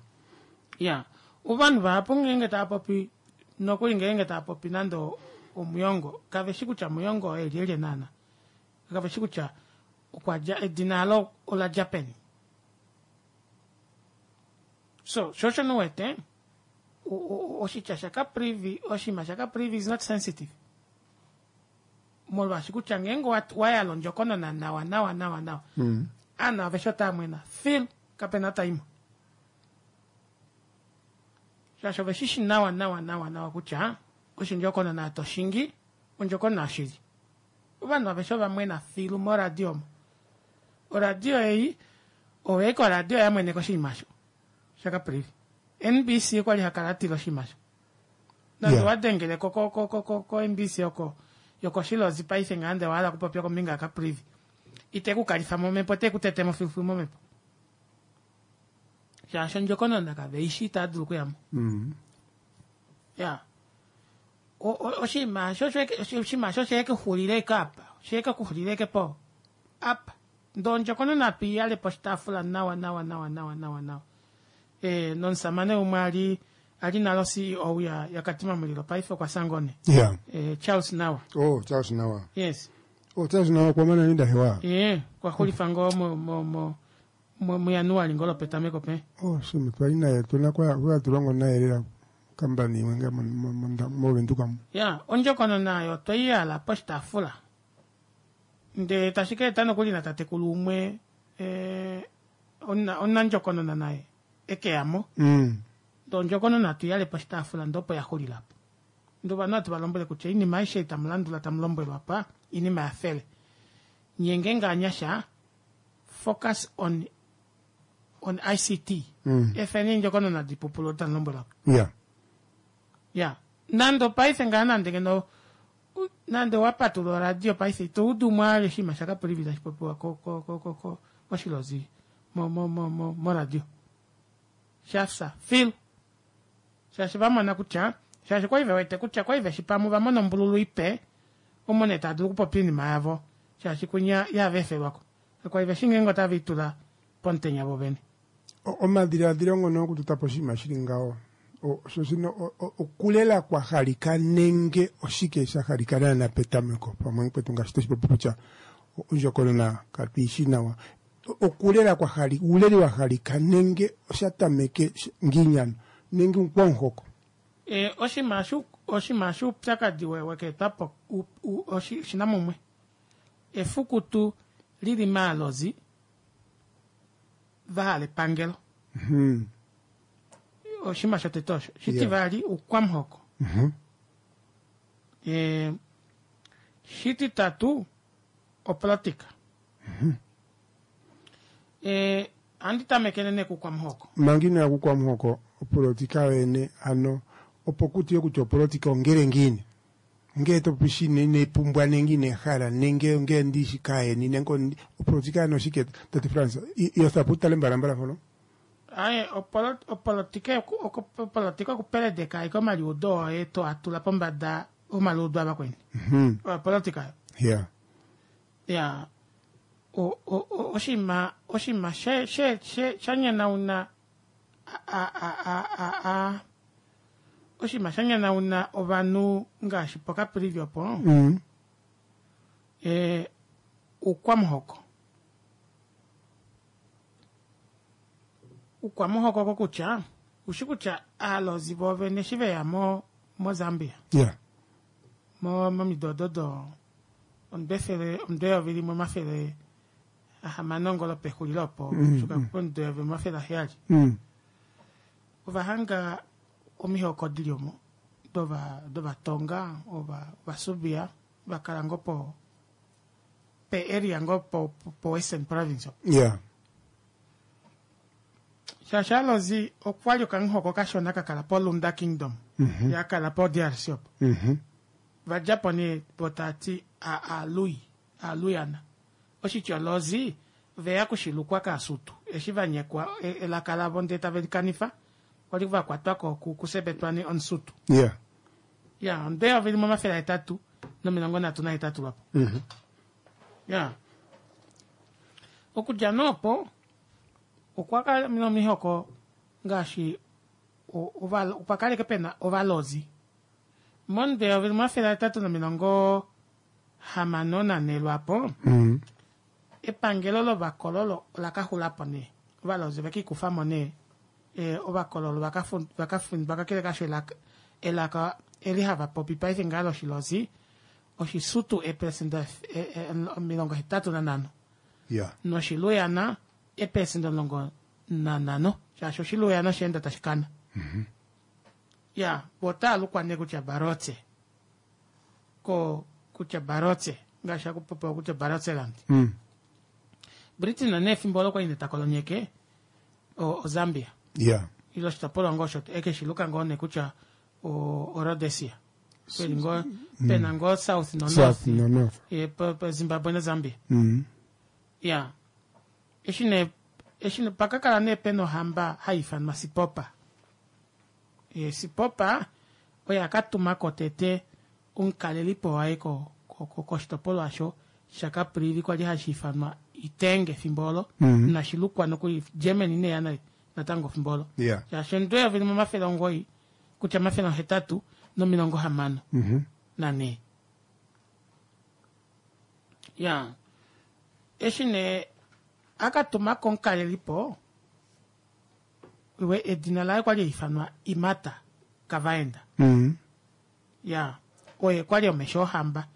Ya ovanhu vahapu ngeenge tava popi nokuli ngeenge tava popi nande omuyongo kaveshi kutya muyongo oye lyelye naana kaveshi kutya okwadja edina alo oladja peni so sho osho nuwete o- o- oshitya shakaprivi oshinima shakaprivi is not sensitive molwaashi kutya ngeenge wa- wayala ondjokonona nawa nawa nawa nawa Mm. aanhu aveshe otaa mwena fil kapena taimwe shaashi ove shishi nawa nawa nawa nawa kutya oshindjokonona toshingi ondjokonona yoshili ovanhu aveshe ovamwena filu moradio omo oradio ei oveika oradio yamweneka oshinima osho shakaprivi N B C okwali hakala atila oshinima osho nande Yeah. wadengele ko ko ko ko ko ko N B C oko yokoshilozi paife ngande wahala okupopya kombinga yakaprivi ite kukalifa momhepo te kutetemo filufilu momhepo shaashi ondjokonona kave ishi itaa dulu okuyamo. Mm. Ya. O- o- Oshinima osho oshinima osho sheke xulile ike apa. Sheke kuxulile ike po. Apa. Ndee ondjokonona atu iyale poshitaafula nawa nawa nawa nawa nawa nawa. E, nomusamane umwe ali ali nalo C E O ya, ya Katima Mulilo paife okwa sangone. Yeah. E, Charles Nawa. Oh, Charles Nawa. Yes. Oh, Charles Nawa kwa maana ninda hewa. E, kwa xulifa ngoo mo, mo, mo, mo, muJanuali ngoo lopetameko pe. Oh, shime twali naye tuna kwa kwa tulongo naye lela kambani imwe nga moVenduka mu. Ya, ondjokonona oyo tweyala poshitaafula. Ndee tashi ka eta nokuli natatekulu umwe e, omuna- omunandjokonona naye ekeyamo. Mm. Ndee ondjokonona tuyale poshitaafula ndee opo yaxulilapo. Ndee ovanhu hatu valombwele kutya oinima aishe ei tamu landula tamu lombwelwa pa oinima yafele. Nye ngeenge anyasha focus on on I C T. Mm. Efeni eendjokonona dipupulwe tamu lombwelwa. Yeah. Ya, nande paife ngaa nande ngeno u- nande wapatulula oradio paife ito udu mwaale oshinima shaKaprivi tashi popiwa ko- ko- ko- ko- ko- koshilozi mo- mo- mo- mo- moradio shafya fil shaashi vamona kutya shaashi kwali vewete kutya kwali veshi pamwe vamona ombululu ipe omo nee tava dulu okupopya oinima yavo shaashi kunya yava efelwako kwali veshi ngeenge otave itula pomutenya vovene. O- Omadiladilo ngono okututa po oshinima shili ngaho O- sho shino o- o- okulela kwa halika nenge oshike sha halika naana petameko pamwe kwetu ngaashi toshipopi kutya o- ondjokonona katuishi nawa. O- okulela kwa hali uuleli wa halika nenge osha tameke sh- ngiinyano nenge ukwamuhoko. E, oshinima shu oshinima shuupyakadi we- wekeetwapo u- u- oshi- shina mumwe efukutu lili maalozi vahala epangelo. Mhm. Oshinima shotete osho shitivali ukwamuhoko. Mhm. E, shititatu opolitika. E, andi tamekele nee kukwamuhoko. Manga inaya kukwamuhoko opolitika yoyene ano opo kutiwe kutya opolitika ongele ngiini ngee topopi shine inepumbwa nenge inehala nenge ngee ndishi kaayeni nenge ondi- opolitika yano oshike tate Frans yothapo utale mbalambala mpono. Aye, opolo- opolitika yoku- oku- opolitika okupeledeka aike omaliudo oye to atula pombada omaliudo avakweni. Mhm. Opolitika yo. Yeah. Ya, o- o- o- oshinima oshinima she she she sha nyanyauna a a a a a oshinima sha nyanyauna ovanhu ngaashi poKaprivi opo Mm. e, ukwamuhoko ukwamuhoko kokutya ushi kutya aalozi voovene eshi veya mo moZambia Yeah. mo momido odo omudo efele omudo eyovi limwe omafele ahamano ngolo pexulilo opo Mm, shuka mm. pomudo eyovi omafele aheyali Mm. ovahanga omihoko dili omo dova dovatonga ova ovasubia vakala ngoo po pe area ngoo po, po, po Western Province opo. Yeah. Shaashi alozi okwali okamuhoko kashona kakala poLunda Kingdom Mhm. yakala po D R C opo. Mhm. Vadjapo nee vo taati alui aluyana oshitya lozi veya kushilukwa kaasutu eshi vanyekwa e- elaka lavo ndee tave likanifa kwali vakwatwako ku- kusebetwani omusutu. Yeah. Ya onde eyovi limwe omafele ahetatu nomilongo nhatu nahetatu lwapo. Mhm. Ya okudja noopo okwa kala nomihoko ngaashi o- ova- opa kaleke pena ovalozi monde eyovi limwe omafele ahetatu nomilongo hamano nanhe lwapo. Mm. Epangelo lovakololo ola kaxulapo nee ovalozi vekikufamo nee e, ovakololo vakafu- vakafundwa kakele kasho elaka, elaka eli hava popi paife ngaa loshilozi oshisutu eperesenda omilongo hetatu nanhano Yeah. noshiluyana eperesenda omulongo nanhano shaashi oshiluyana osheenda tashi kana. Mhm. Ya votaalukwa nee kutya barotse ko kutya barotse ngaashi akupopiwa kutya barotseland. Mm. Britain nee efimbo olo kwali netakolonyeke o- oZambia Yeah. ile oshitopolwa ngoo osho ekeshiluka ngoo nee kutya o- oRhodesia peli ngoo Mm. pena ngoo south no South north no north. e, po- po Zimbabwe naZambia. Mm. Ya eshi nee eshi nee pakakala nee pena ohamba hai ifanwa Sipopa. E, Sipopa Oye akatuma ko tete omukalelipo waye ko- ko- ko- koshitopolwa osho shaCaprivi kwali hashi ifanwa Itenge fimbo olo Mhm. nashilukwa nokuli Germany neya na- natango fimbo olo Yeah. shaashi omudo eyovi limwe omafele omugoyi kutya omafele ohetatu nomilongo hamano Mhm. nanhee ya eshi nee akatumako omukalelipo we edina laye kwali haifanwa Imata Kavaenda Mhm. ya oye kwali omesho ohamba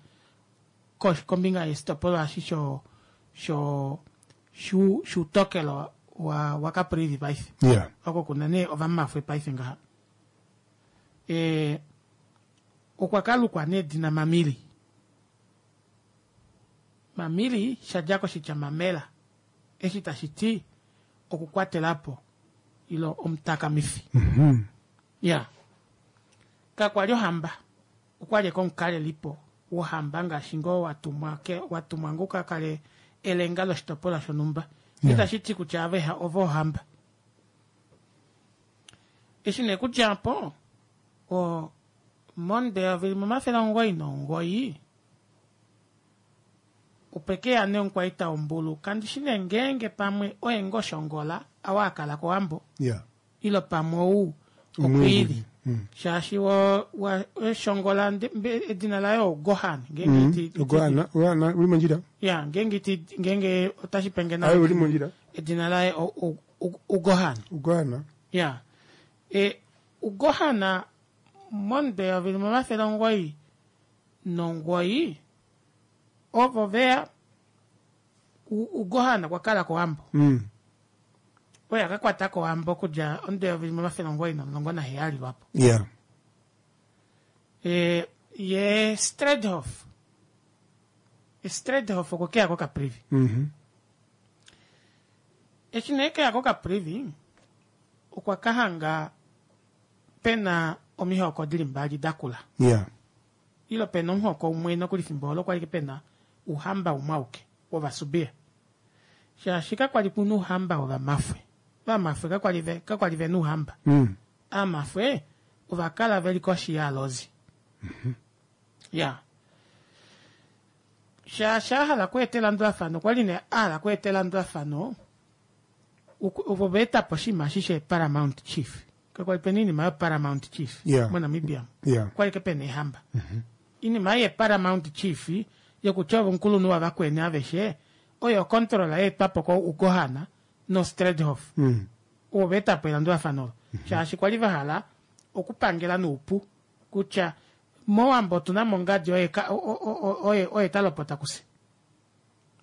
kosh- kombinga yeshitopolwa eshi sho sho shu shuutokelo wa wa Caprivi paife Yeah. oko kuna nee ovamafwe paife ngaha e, okwa kalukwa nee edina Mamili. Mamili shadja koshitya mamela eshi tashi ti okukwatelapo ilo omutakamifi Mhm. ya kakwali ohamba okwali komukalelipo wohamba ngaashi ngoo watumwa ke watumwa ngoo kakale elenga loshitopolwa shonhumba Yeah. itashi ti kutya ave ovo ohamba eshi nee kudja po o monde eyovi limwe omafele omugoyi nomugoyi opekeya nee omukwaita wombulu kandishi nee ngeenge pamwe oye ngoo shongola awa akala kowambo Yeah. ilo pamwe ou okwiili shaashi wo wa shongola nde- mbe- edina laye oGohan ngeenge Mhm. iti- iti- Gohana, Gohana, uli mondjila. ya ngeenge iti ngeenge otashi penge Aye, uli mondjila. edina laye o- o- o- uGohan Ugohana. ya e uGohana monde eyovi limwe omafele omugoyi nomugoyi ovo veya U- uGohana okwa kala kowambo Mm. oye akakwata kowambo okudja omudo eyovi limwe omafele omugoyi nomulongo naheyali lwapo Yeah. e, ye Stradhof Stradhof okwe keya koCaprivi Mhm. eshi nee keya koCaprivi okwa kahanga pena omihoko dili mbali dakula Yeah. ilo pena omuhoko umwe nokuli fimbo olo kwali pena uhamba umwe auke wovasubia shaashi kakwali kuna uhamba wovamafwe vamafwe kakwali ve- kakwali vena uhamba Mm. amafwe ovakala veli koshi yaalozi ya shaashi ahala okweeta elandulafano okwali ne ahala okweeta elandulafano uku- ovo vaetapo oshinima eshi she paramount chief kakwali pena iinima yo paramount chief Yeah. moNamibia Yeah. okwali ke pena ehamba iinima ye paramount chief yokutya ove omukulunhu wavakweni aveshe oyo ocontrol yeetwapo ko uGohana noStradhof Mm. ovo vaetapo elandulafano olo shaashi kwali vahala okupangela noupu kutya mowambo otuna mo ngadi oye ka- o- o- o- oye oye talopota kuse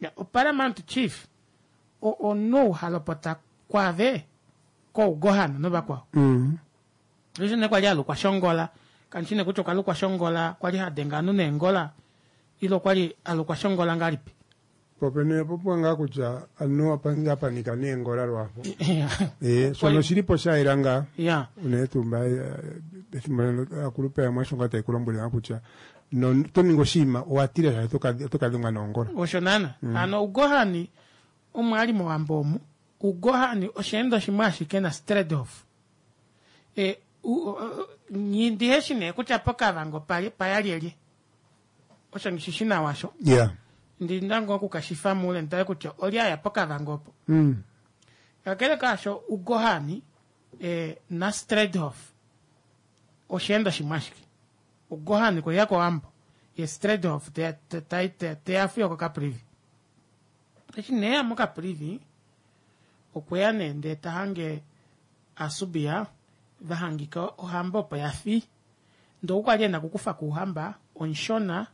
Ya, oparamount chief o- omunhu ou halopota kwaave kouGohana novakwao Mm. eshi nee kwali alukwa shongola kandishi nee kutya okwalukwa shongola kwali hadenga ovanhu neengola ile okwali alukwa shongola ngalipi Popene popwa ngaa kutya anu apa- apanika neengola lwapo. Eh, shono shilipo shayela ngaa. Ya. Unene tuu mba eh, pefimbo akulupe yamwe osho ngaa taikulombwele ngaa kutya no to ningi oshinima owa tila shaashi oto ka- oto kadhengwa noongola. osho naana Mm. hano uGohani omo ali mowambo omu uGohani osheendo shimwe ashike na Stradhof e, u- o- o- ndiheshi nee kutya pokavango pali- payalyelye osho ngishishi nawa sho Yeah. ndina ngoo okukashifa muule nditale kutya olye aya pokavango opo Mm. kakele kaasho uGohani e, naStradhof osheendo shimwe ashike uGohani kweya kowambo ye Stradhof teya fiyo koCaprivi eshi neya moCaprivi okweya nee ndee tahange asubia vahangika ohamba opo yafi ndee okwali ena okukufa kuuhamba omushona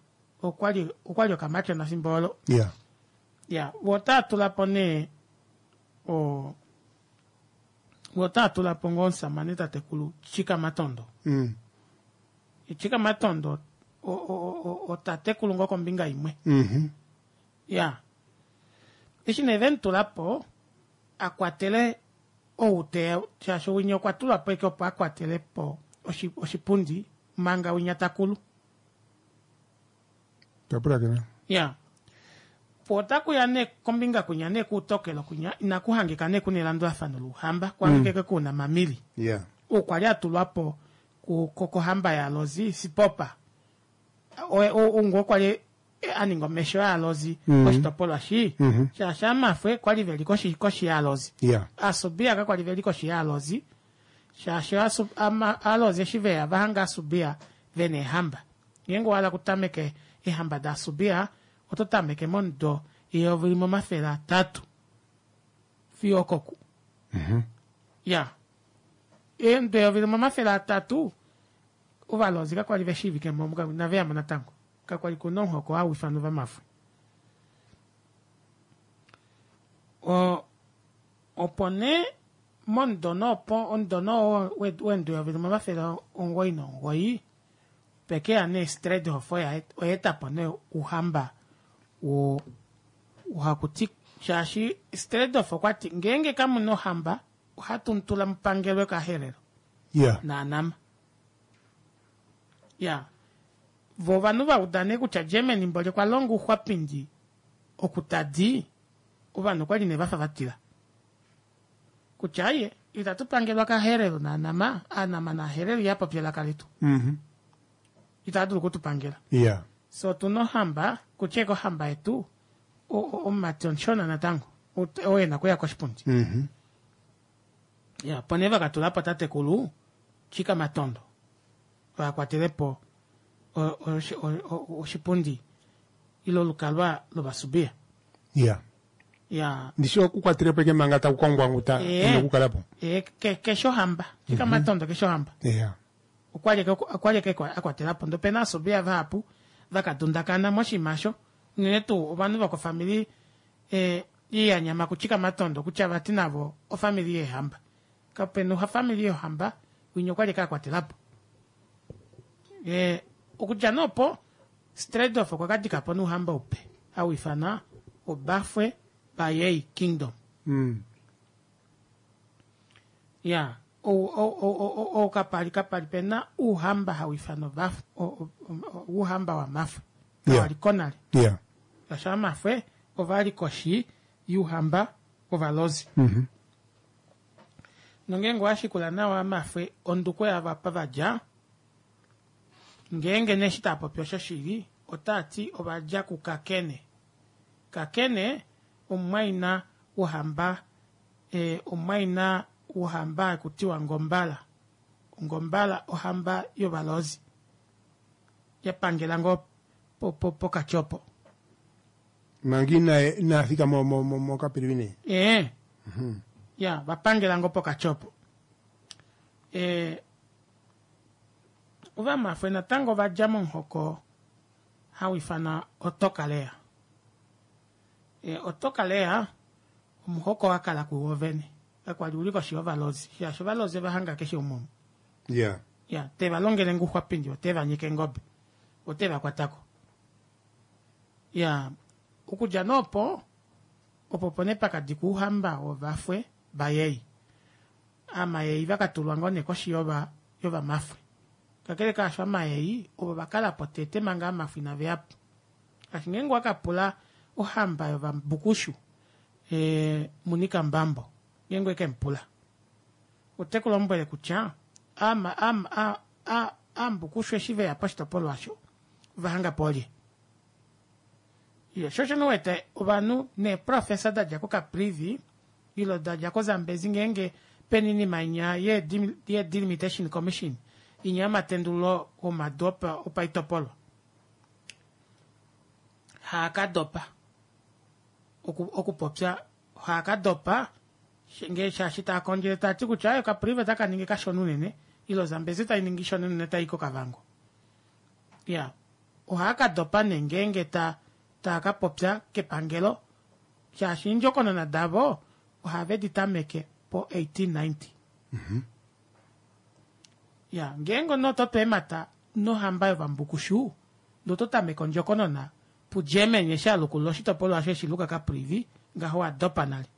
okwali okwali okamatyona fimbo olo Yeah. ya vo otaa tula po nee o vo otaa tula po ngoo omusamane tatekulu Chikamatondo Mm. Chikamatondo o- o- o- otatekulu ngoo kombinga imwe Mhm. ya eshi nee vemutula po akwatele ou teya shaashi winya okwa tulwa po eke opo akwatele po oshi- oshipundi manga winya takulu Twapulakena. ya po otakuya nee kombinga kunya nee kuutokelo kunya inakuhangika nee kuna elandulafano louhamba kuhangike kuna mamili Yeah. ou kwali atulwa po Kohamba yaAlozi Sipopa oungu okwa li a ninga omesho yaAlozi Mhm. koshitopolwa shi Mhm. shaashi amafwe kwali veli koshi koshi yaAlozi Yeah. Asubia kakwali veli koshi yaAlozi shaashi Asu- ama- Alozi eshi veya vahanga Asubia vena eehamba ngeenge owahala kutameke eehamba daAsubia oto tameke momudo eyovi limwe omafele atatu fiyo okoku Mhm. ya eemdo eyovi limwe omafele atatu ovalozi kakwali veshiivike mo inaveyamo natango kakwali kuna omuhoko hau ifanwa ovamafwe O- opo nee momudo noopo omudo noo weendo eyovi limwe omafele omugoyi nomugoyi pekeya nee Stradhof oya oyaetapo nee ouhamba wo hakuti shaashi Stradhof okwati ngeenge kamuna ohamba ohatu mutula mupangelwe kaHerero Yeah. naanama ya vo ovanhu vauda nee kutya Germany mboli okwa longa ouxwapindi oku tadi ovanhu okwali nee vafa vatila kutya aye itatu pangelwa kaHerero naanama aanama naHerero ihapopi elaka letu Mhm. itava dulu okutupangela Yeah. so otuna ohamba kutya eke ohamba yetu o- o- omumati omushona natango Ut- oo ena okuya koshipundi Mhm. ya opo nee vakatulapo tatekulu Chika Matondo vakwatelepo o- o- o- o- oshipundi ile olukalwa lovasubia Yeah. ya Ndishi okukwatelepo eke manga takukongwa nguta Eh. nokukalapo. e, ke, keshe ohamba Chika Mhm. Matondo keshe ohamba Yeah. okwali eke- okwali eke akwatelapo ndee opena asubia vahapu vakadundakana moshinima osho unene tuu ovanhu vokofamili eh, yanyama kuChika Matondo kutya vati navo ofamili yeehamba kapena ofamili yohamba winya okwali eke akwatelapo eh, okudja nee opo Stradhof okwa kadikapo nouhamba upe hau ifanwa Obafwe Bayei Kingdom Mm. ya ou- ou- ou- ou- ou kapali kapali pena uuhamba hau ifanwa Obaf- o- o- o- ouhamba wamafwe Yeah. kawaliko nale Yeah. shaashi amafwe ovali koshi youhamba wovalozi Mhm. nongeenge owashikula nawa amafwe onduko yavo apa vadja ngeenge neshi taapopi osho shili otaati ovadja kukakene kakene omumwaina wohamba eh, omumwaina wohamba hakutiwa ngombala ngombala ohamba yovalozi yapangela ngoo po- po- pokatyopo Manga ina inafika mo mo mo mo Caprivi. ee Mhm. ya vapangela ngoo pokatyopo e, ovamafwe natango ovadja momuhoko hau ifanwa otokalea e, otokalea omuhoko wakala kuwovene kakwali uli koshi yovalozi shaashi ovalozi ovahanga keshe umwe omu. Yeah. ya teva longele nguxwapindi oteva nyika engobe oteva kwatako ya okudja noopo opo opo nee pakadikwa ouhamba wovafwe vayei amayei vakatulwa ngoo nee koshi yova yovamafwe kakele kaasho amayei ovo vakalapo tete manga amafwe inaveyapo shaashi ngeenge wakapula ohamba yovambukushu e, Munika Mbambo ngeenge wekemupula ote kulombwele kutya ama ama a, a, ambukushu eshi veya poshitopolwa osho ovahanga po olye iyo sho osho niwete ovanhu neeprofesa dadja kocaprivi ilo dadja kozambezi ngeenge pena oinima inya ye delimitation commission inya yomatendululo womadu opa- opaitopolwa haakadopa oku- okupopya haakadopa ngee shaashi taakondjele taati kutya ayo Caprivi otaka ningi kashona unene ile Zambezi tai ningi ishona unene tai koKavango ya ohaakadopa nee ngeenge ta taakapopya kepangelo shaashi eendjokonona davo ohave di tameke po eighteen ninety Mhm. ya ngeenge omunhu oto peemata nohamba yovambukushu ndee oto tameke ondjokonona puGermany eshi alukulula oshitopolwa osho eshiluka Caprivi ngaho wadopa nale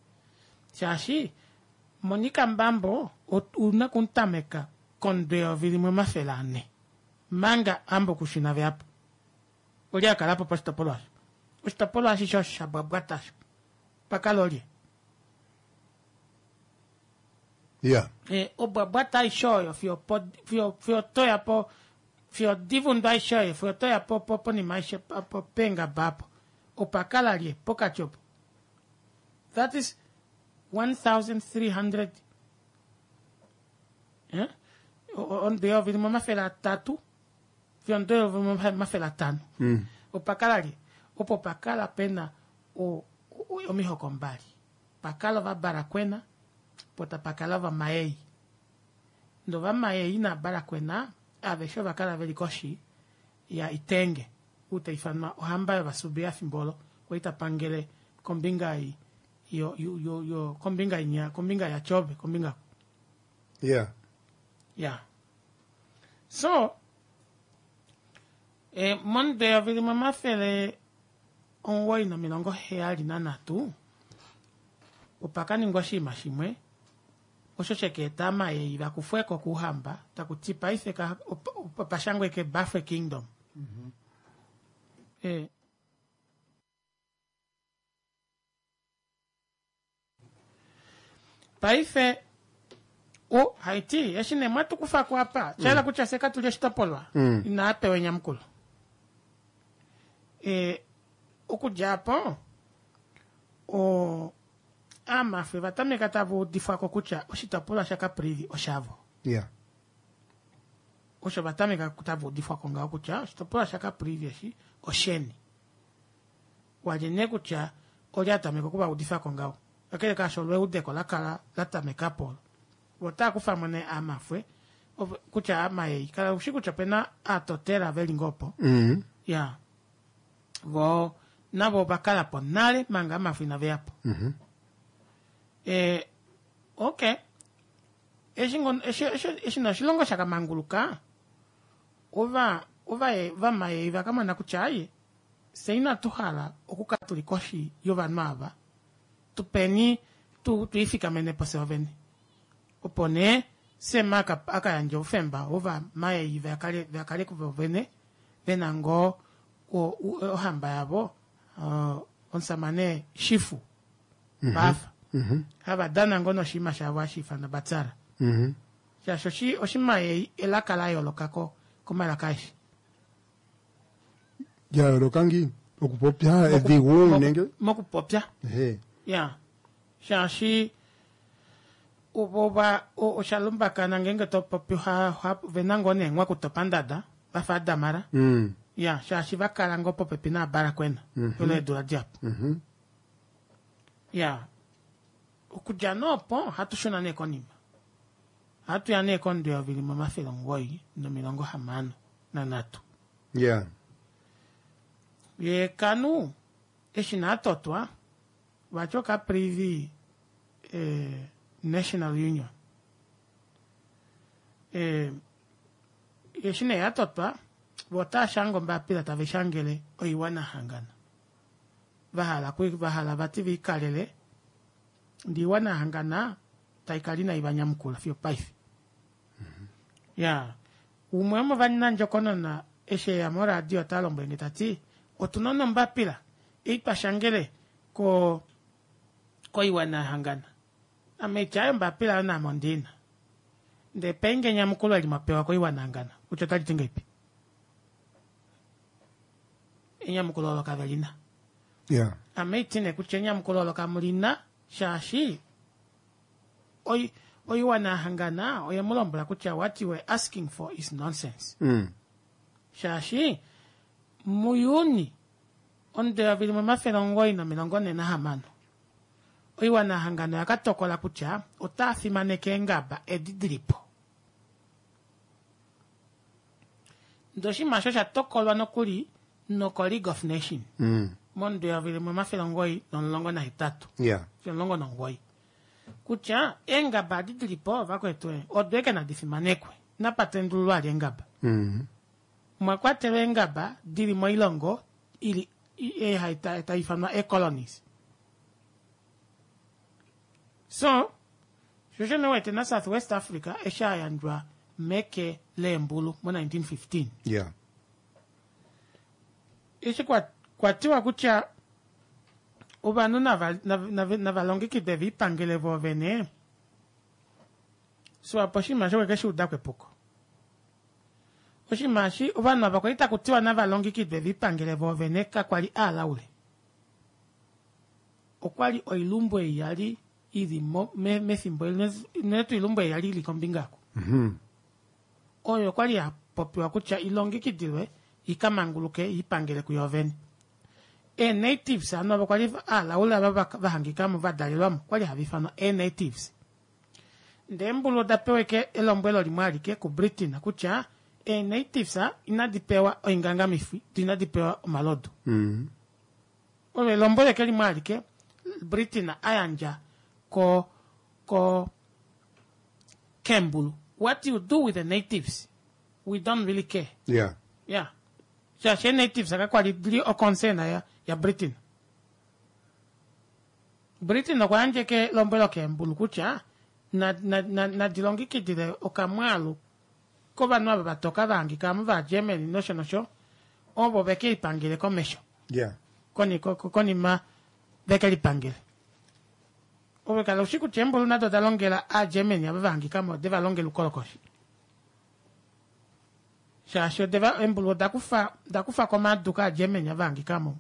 shaashi Monica Mbambo ot- una okumutameka komudo eyovi limwe omafele ane manga ambukushu inaveyapo oli akalapo poshitopolwa osho oshitopolwa ashishe osho shabwabwata osho pakala olye Yeah. E, obwabwata aishe oyo fiyo po- fiyo fiyo toya po fiyo divundu aishe oyo fiyo toya po po ponima aishe pa- po pengaba apo opakala lye pokati opo that is one thousand three hundred eh? ondeyovi limwe omafele atatu fiyo ondeyovi limwe omafele atano Mm. opakala lye opo pakala pena o- o- omihoko mbali pakala ovabarakwena po tapakala ovamayei ndee ovamayei nabarakwena aveshe ovakala veli koshi ya itenge ou taifanwa ohamba yovasubi efimbo olo kwali tapangele kombinga ei yo, yo, yo, yo kombinga inya kombinga yachobe kombinga Yeah. yeah so e, momudo limwe omafele omuwoi nomilongo heyali nanhatu opakaningwa oshinima shimwe osho shekeeta amayei vakufweko kuhamba takuti paife ka- op- op- opashangwe ke bafwe kingdom e, paife o haiti eshi nee mwatukufako apa shaela kutya fye katuli oshitopolwa Mm. inaapewa enyamukulo e, okudja apo o aamafwe vatameka tava udifwako kutya oshitopolwa shacaprivi oshavo Yeah. osho vatameka tava udifwako ngaho kutya oshitopolwa shacaprivi eshi osheni walye nee kutya olya tameka okuvaudifako ngaho kakele kaasho olweudeko lakala latamekapo olo otaakufamo nee aamafwe ovo- kutya amayei kala ushi kutya opena aatotela veli ngoo opo Mm. ya vo navo ovakala po nale manga amafo inaveyapo Mhm. e, ok eshi ngono- eshi- eshi- eshi nee oshilongo shakamanguluka ova ova vamayei vakamona kutya aye fye inatu hala okukala tuli koshi yovanhu ava tupeni tu twiifikamenepo fye vene opo nee sema aka- akayandja oufemba wovamayei vakale vakale kuvo vene vena ngoo o- u- ohamba yavo uh, omusamane shifu Mhm. vafa Mhm. hava dana ngoo noshinima shavo hashi ifanwa batsara Mhm. shaashi oshi- oshimayei elaka la yoolokako komalaka aeshe Ya yooloka ngiini okupopya edhigu nenge mokupopya Ehe. ya shaashi ova oshalumbakana ngenge topopi vena ngoo neenghwaku topandada vafa adamara Mm. ya shaashi vakala ngoo popepi naabarakwena Mhm. olo eedula dihapu Mhm. ya okudja noopo ohatu shuna nee konima ohatu ya nee komudo eyovi limwe omafele omugoyi nomilongo hamano nanhatu Yeah. ye kanu eshi naatotwa vati okaprivi eh, national union eh, eshi nee yatotwa vo otaashanga ombapila tave shangele oiwana hangana vahala ku- vahala vati viikalele ndee iwana hangana taikala inai vanyamukula fiyo paife ya umwe womovanandjokonona eshi eya moradio ota lombwelenge tati otuna nombapila ei twashangele ko koiwana yahangana ame itya ayo ombapila ayo naame ondina ndee penge enyamukulo eli mwapewa koiwana yahangana kutya otali ti ngeipi enyamukulo olo kave lina Yeah. ame iti nee kutya enyamukulo olo kamulina shaashi oi- oiwana yahangana oye mu lombwela kutya what you were asking for is nonsense Mm. shaashi muyuni omudo eyovi limwe omafele omugoyi nomilongo nhe nahamano oiwana yahangana oya katokola kutya otaa fimaneke eengaba edi dilipo ndee oshinima osho osha tokolwa nokuli noko league of nation Mm. momudo eyovi limwe omafele omugoyi nomulongo nahetatu Yeah. omulongo nomugoyi kutya eengaba adi dilipo vakwetu odo eke nadi fimanekwe napatendululwa ali eengaba Mm. mwa kwatelwa eengaba dili moilongo ili i- eh, hai ta- tai ifanwa ecolonies so shosho newete na south west africa eshi ayandjwa meke leembulu mo nineteen fifteen Yeah. eshi kwa- kwatiwa kutya ovanhu nava- nava- nava- navalongekide viipangele voovene Swapo oshinima osho okwe shi uda ko epuko. Oshinima eshi ovanhu ava kwali taku tiwa nava longekidwe ve lipangele voovene kakwa li aalaule. Okwali oilumbu ei yali ili mo, me, mefimbo eli, unene tuu oilumbu ei yali ili kombinga oku. Mhm. Oyo okwali ya popiwa kutya ilongekidilwe ika manguluke i pangele kuyo vene. Ee-natives hano avo kwali aalaule ava va, va hangikamo va dalelwamo okwali hava ifanwa ee-natives. Ndee eembulu oda pewa eke elombwelo limwe alike kuBritain kutya ee-natives inadi pewa oingangamifi do inadi pewa omalodu. Mm. Olo elombwelo eke limwe alike Britain a yandja ko ko keembulu. What you do with the natives, we don't really care. Yeah. Yeah. Shaashi ee-natives kakwali dili o-concern ya, ya Britain. Britain okwa yandja eke elombwelo keembulu kutya na, na, na, nadi longekidile okamwaalu kovanhu ava vatoka va hangika mo vaGermany nosho nosho ovo veke lipangele komesho. Yeah. Koni, konima veke lipangele. Ove kala ushi kutya eembulu nado oda longela aaGermany ava va hangika mo ode va longela oukolokoshi. Shaashi odeva eembulu oda kufa oda kufa ko omadu kaaGermany ava hangika mo.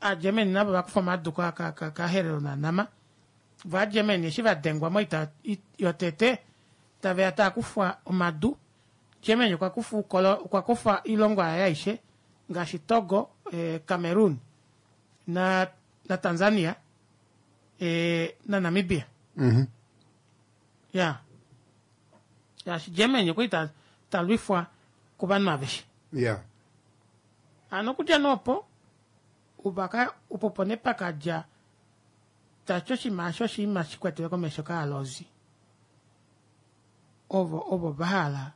AaGermany navo va kufa omadu ka, ka, ka, kaHerero naNama. Vo aaGermany eshi va dengwa moita yotete tave ya taa kufwa omadu, Germany okwa kufa ukolo, okwa kufa oilongo yaye aishe ngaashi Togo, eh, Cameroon na, na Tanzania eh, na Namibia. Mm -hmm. Ya. Shaashi Germany okwa li ta, ta lwifwa kovanhu aveshe. Ya. Hano okudja nee opo, ubaka, opo opo nee pakadja tashi oshinima osho oshinima shi kwatelwe komesho kaalozi ovo ovo va hala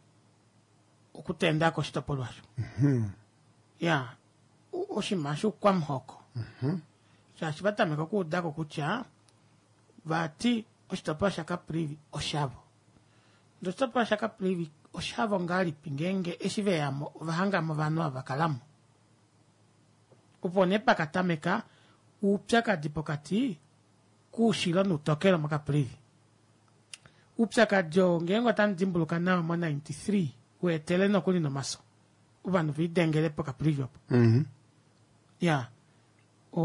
okutenda ko oshitopolwa osho. Mhm. Ya, oshinima shoukwamuhoko. Mhm. Shaashi va tameka okuuda ko kutya vati oshitopolwa shaCaprivi oshavo. Ndele oshitopolwa shaCaprivi oshavo ngahelipi ngeenge eshi ve ya mo ova hanga mo ovanhu ava va kala mo? Opo nee pa ka tameka oupyakadi pokati koushilo noutokelo moCaprivi. Oupyakadi oo ngeenge otamu dimbuluka nawa mo ninety three wa etele nokuli nomaso ovanhu ve lidengele poCaprivi opo. Mm -hmm. Ya.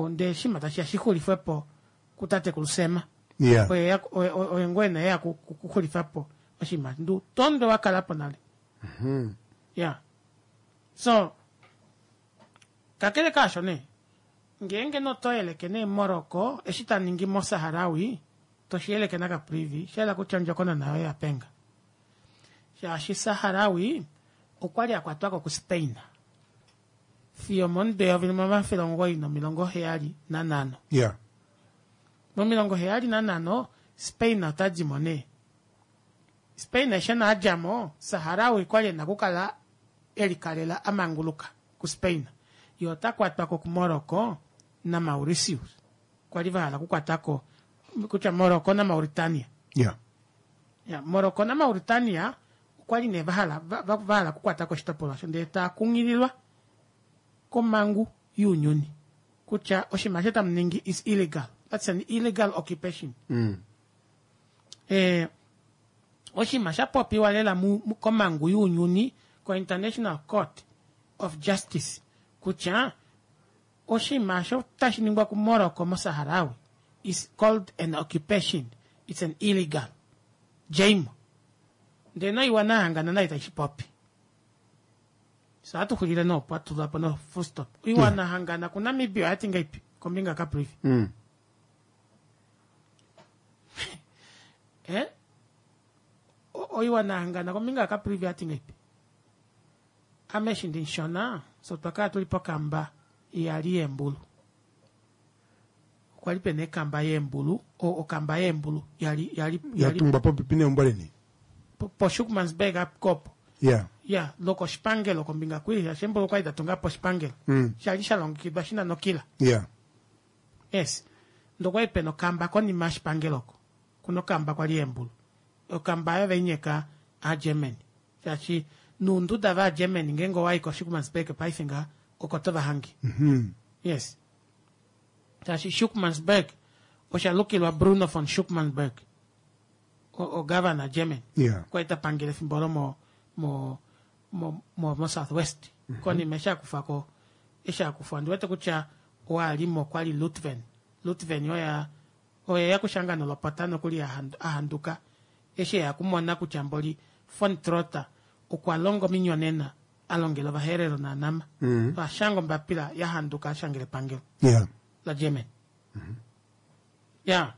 Ndee oshinima tashi ya shi xulifwe po kutatekulu Sam. Yeah. Oye oye ngoo ena eya kuxulifa po oshinima. Ndu tondo wa kala po nale. Mm -hmm. Ya. So, kakele kaasho nee, ngeenge noto yeleke nee Morocco eshi ta ningi moSaharawi, to shi yeleke naCaprivi, sha yela kutya ondjokonona yoye ya penga. Shaashi Saharawi okwa li a kwatwa ko kuSpain fiyo momudo eyovi limwe omafele omugoyi nomilongo heyali nanhano. Yeah. Momilongo heyali nanhano, Spain ota di mo nee. Spain eshi a dja mo, Saharawi kwa li e na okukala e likalela a manguluka kuSpain. Ye ota kwatwa ko kuMorocco naMauritius. Kwa li va hala okukwata ko kutya Morocco naMauritania. Yeah. Ya, Morocco naMauritania okwa li nee va hala va, va, va hala okukwata ko oshitopolwa osho ndele taa kunghililwa komhangu younyuni kutya oshinima osho tamu ningi is illegal. That's an illegal occupation. Mm. Eh, oshinima sha popiwa lela mu, mu, komhangu younyuni ko-International Court of Justice kutya oshinima osho tashi ningwa kuMorocco moSaharawi is called an occupation, it's an illegal. Djeimo. Ndee noiwana yahangana nayo itai shi popi. So ohatu xulile nee opo, hatu tula po no full stop. Oiwana yahangana kuNamibia oya ti ngaipi kombinga yaCaprivi? Mm. Eh? Oiwana yahangana kombinga yaCaprivi oya ti ngaipi? Ame eshi ndimushona, fye otwa kala tuli pokamba iyali yeembulu. Okwa li pena ekamba yeembulu, okamba yeembulu yali yali ya tungwa popepi neumbo leni. PoSchuckmansburg opo. Yeah. Ya, lokoshipangelo kombinga kwi, shaashi eembulu okwali da tunga po oshipangelo. Mm. Sha li sha longekidwa shi na nokila. Yeah. Yes. Ndee okwali pena okamba konima yoshipangelo oko. Kuna okamba kwali yeembulu. Okamba oyo veinyeka aaGermany. Shaashi nounduda vaaGermany ngeenge owayi koSchuckmansburg paife ngaha oko to va hange. Mm-hmm. Yes. Shaashi Schuckmansburg osha lukilwa Bruno von Schuckmansburg. o-governor German Yeah. kwali tapangele efimbo olo mo mo mo mo, mo South West mm -hmm. konima eshi akufa ko eshi akufwa ondiwete kutya owalimo kwali Lutven Lutven oya oye yakushanga nolopota nokuli ahanduka eshi eya kumona kutya mboli von Trotha okwa longa ominyonena a longela ovaherero naanama mm -hmm. ashanga ombapila yahanduka ashangela epangelo yeah. la German mm -hmm. ya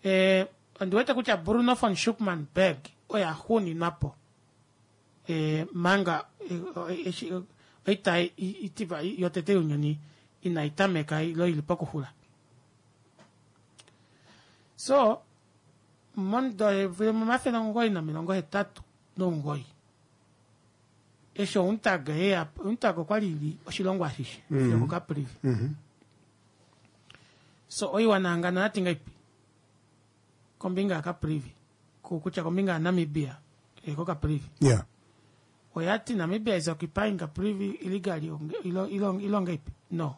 eh ondiwete kutya Bruno von Schuckmann Berg oye axuuninwapo e, manga eshi oita itiva yotete younyuni inai tameka ilo ili pokuxula. So momudo momafele omugoyi nomilongo hetatu nomugoyi eshi UNTAG yeya UNTAG okwali ili oshilongo ashishe mm -hmm. fiyo koCaprivi mm -hmm. So oiwana hangano oyati ngaipi kombinga yaCaprivi kutya kombinga yaNamibia koCaprivi yeah. Oyati Namibia is occupying Caprivi illegally ilo ilo ilonga ipi no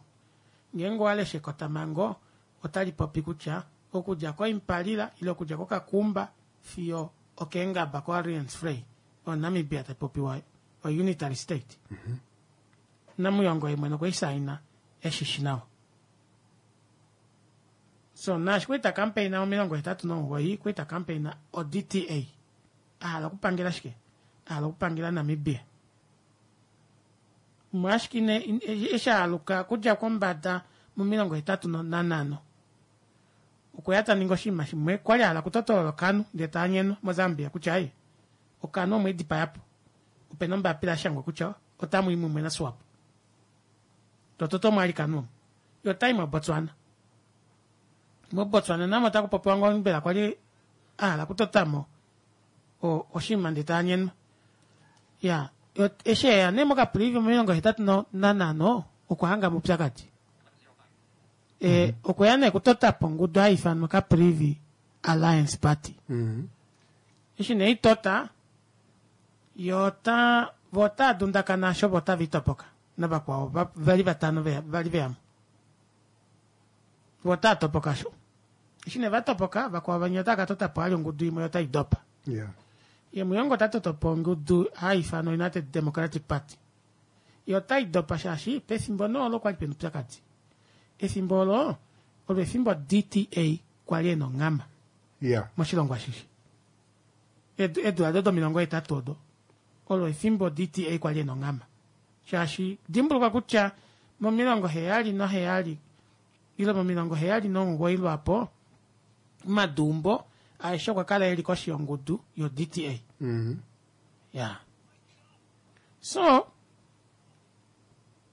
ngeenge owalesha ekotamango otali popi kutya okudja koImpalila ile okudja koKakumba fiyo okeengaba koAriens Frey oNamibia tapopiwa o unitary state. mm -hmm. Namuyongo ye mwene okwe eshi nawa. So naashi kwita campaign omilongo hetatu nomugoyi kwita campaign o D T A ahala okupangela shike ahala okupangela Namibia mwashike eshi aluka kudja kombada momilongo hetatu nanhano okweya taninga oshinima shimwe kwali ahala okutotolola okanu ndee taanyenwa moZambia kutya ai okanu omweedipayapo opena ombapila yashangwa kutya otamu i mumwe naSwapo tototo mwali kanu omo yo otai moBotswana moBotswana namo otakupopiwa ngoo mbela kwali ahala okutotamo oshinima ndee taanyenwa ya eshi eya nee moCaprivi momilongo hetatu nanhano okwa hanga mupyakadi e okweya nee okutotapo ongudu hai ifanwa Caprivi Alliance Party. Mm -hmm. Eshi nee itota yo ota vo otadundakana asho vo otavitopoka navakwao vali vatano vali veyamo vo otatopoka asho eshi nee vatopoka vakwao vanya otakatotapo ali ongudu imwe otaidopa. Yeah. Ye Muyongo otatotopo ongudu hai ifanwa United Democratic Party yo otaidopa shaashi pefimbo noolo kwali pena upyakadi efimbo olo olo efimbo D T A kwali ena onghama yeah. moshilongo ashishe edu ado domilongo hetatu odo olo efimbo D T A kwali ena onghama shaashi dimbuluka kutya momilongo heyali noheyali ile momilongo heyali nomugoyi lwapo madumbo aeshe okwa kala eli koshi yongudu yo D T A. Mm -hmm. Yeah. So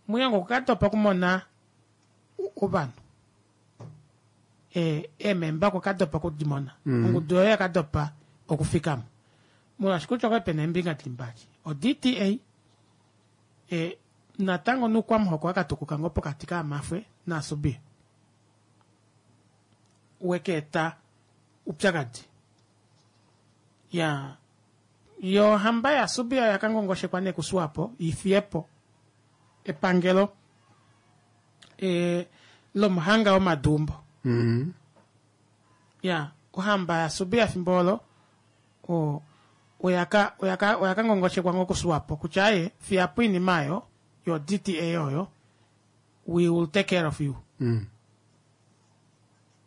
Muyongo okukatopa okumona ovanhu e ememba okukatopa okudimona mm -hmm. ongudu oyo yakatopa okufikamo molwaashi kutya okwa pena eembinga dili mbali o D T A e natango nuukwamuhoko wakatukuka ngoo pokati kaamafwe naasubia wekeeta upyakadi ya yo hamba yaSubia yakangongoshekwa nee kuSwapo ifiyepo epangelo e lomuhanga womadumbo. Mm -hmm. Ya ohamba yaSubia fimbo olo o oyaka oyaka oyakangongoshekwa ngoo kuSwapo kutya aye fiyapo iinima ayo yo D T A oyo we will take care of you. Mm.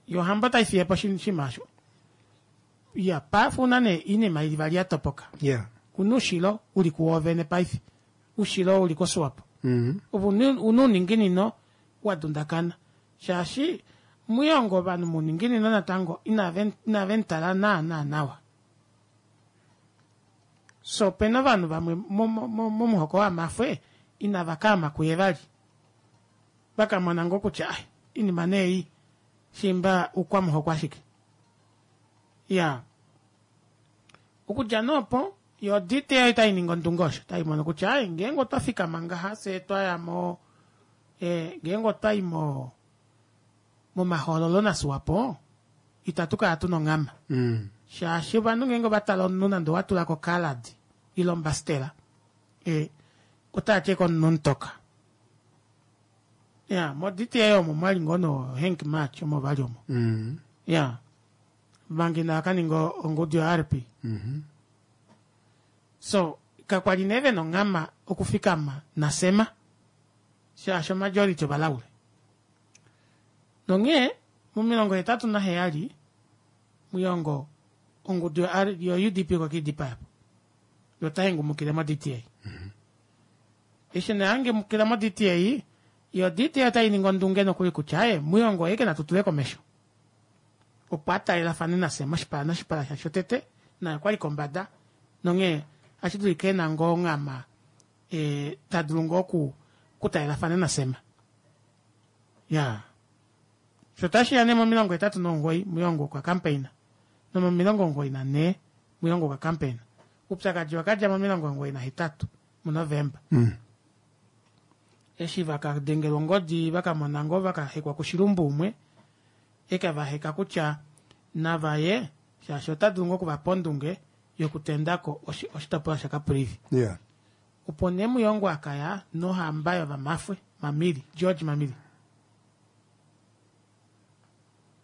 Yo hamba taifiyepo shinima asho ya paife una nee iinima ili vali yatopoka. Yeah. Una ushilo uli kuwovene paife ushilo uli koSwapo. Mm -hmm. Una uninginino wadundakana shaashi Muyongo ovanhu muninginino natango inave ntala naana nawa. So opena ovanhu vamwe momuhoko wamafwe inava kaama kuye vali vakamona ngoo kutya ai inima nee shimba ukwamuhoko ashike. Ya okudja noopo yo D T A taininga ondunge osho taimono kutya ai ngeenge otwa fikama ngaha fye twaya mo e ngeenge otwayi mo momahoololo naSwapo itatu kala tuna onghama. Mm. Shaashi ovanhu ngeenge ovatala omunhu nande owatulako kalad ile ombastela e otati komunhu mutoka. Ya mo D T A omo mwali ngoo no Henk March omo vali omo. Mm. Ya Manga inava ka ninga ongudu yo R P. Mhm. So kakwali nee vena onghama okufikama naSema shaashi omajority ovalaule. Nonghee momilongo hetatu naheyali Muyongo ongudu yo U D P okwa po. Yo taengumukile mo D T A. Eshi nee angumukila mo D T A, yo D T A otai ningi ondunge nokuli kutya aye Muyongo oye ke natutule komesho. Opo atalelafane naSema oshipala noshipala shasho tete naye okwali kombada nonghee ashi dulika ena ngoo onghama e, tadulu ngoo oku okutalelafana naSema. Ya. Sho tashiya nee momilongo hetatu nomugoyi Muyongo okwa campaigna. Nomomilongo omugoyi nanhee Muyongo okwa campaigna. Upyakadi wakadja momilongo omugoyi nahetatu muNovemba. Mm. Eshi vakadengelwa ongodi vakamona ngoo vakahekwa kushilumbu umwe eke vaheka kutya navaye shaashi ota dulu ngoo okuvapa ondunge yokutendako oshitopolwa shaCaprivi. Yeah. Opo nee Muyongo akaya nohamba yovamafwe Mamili, George Mamili.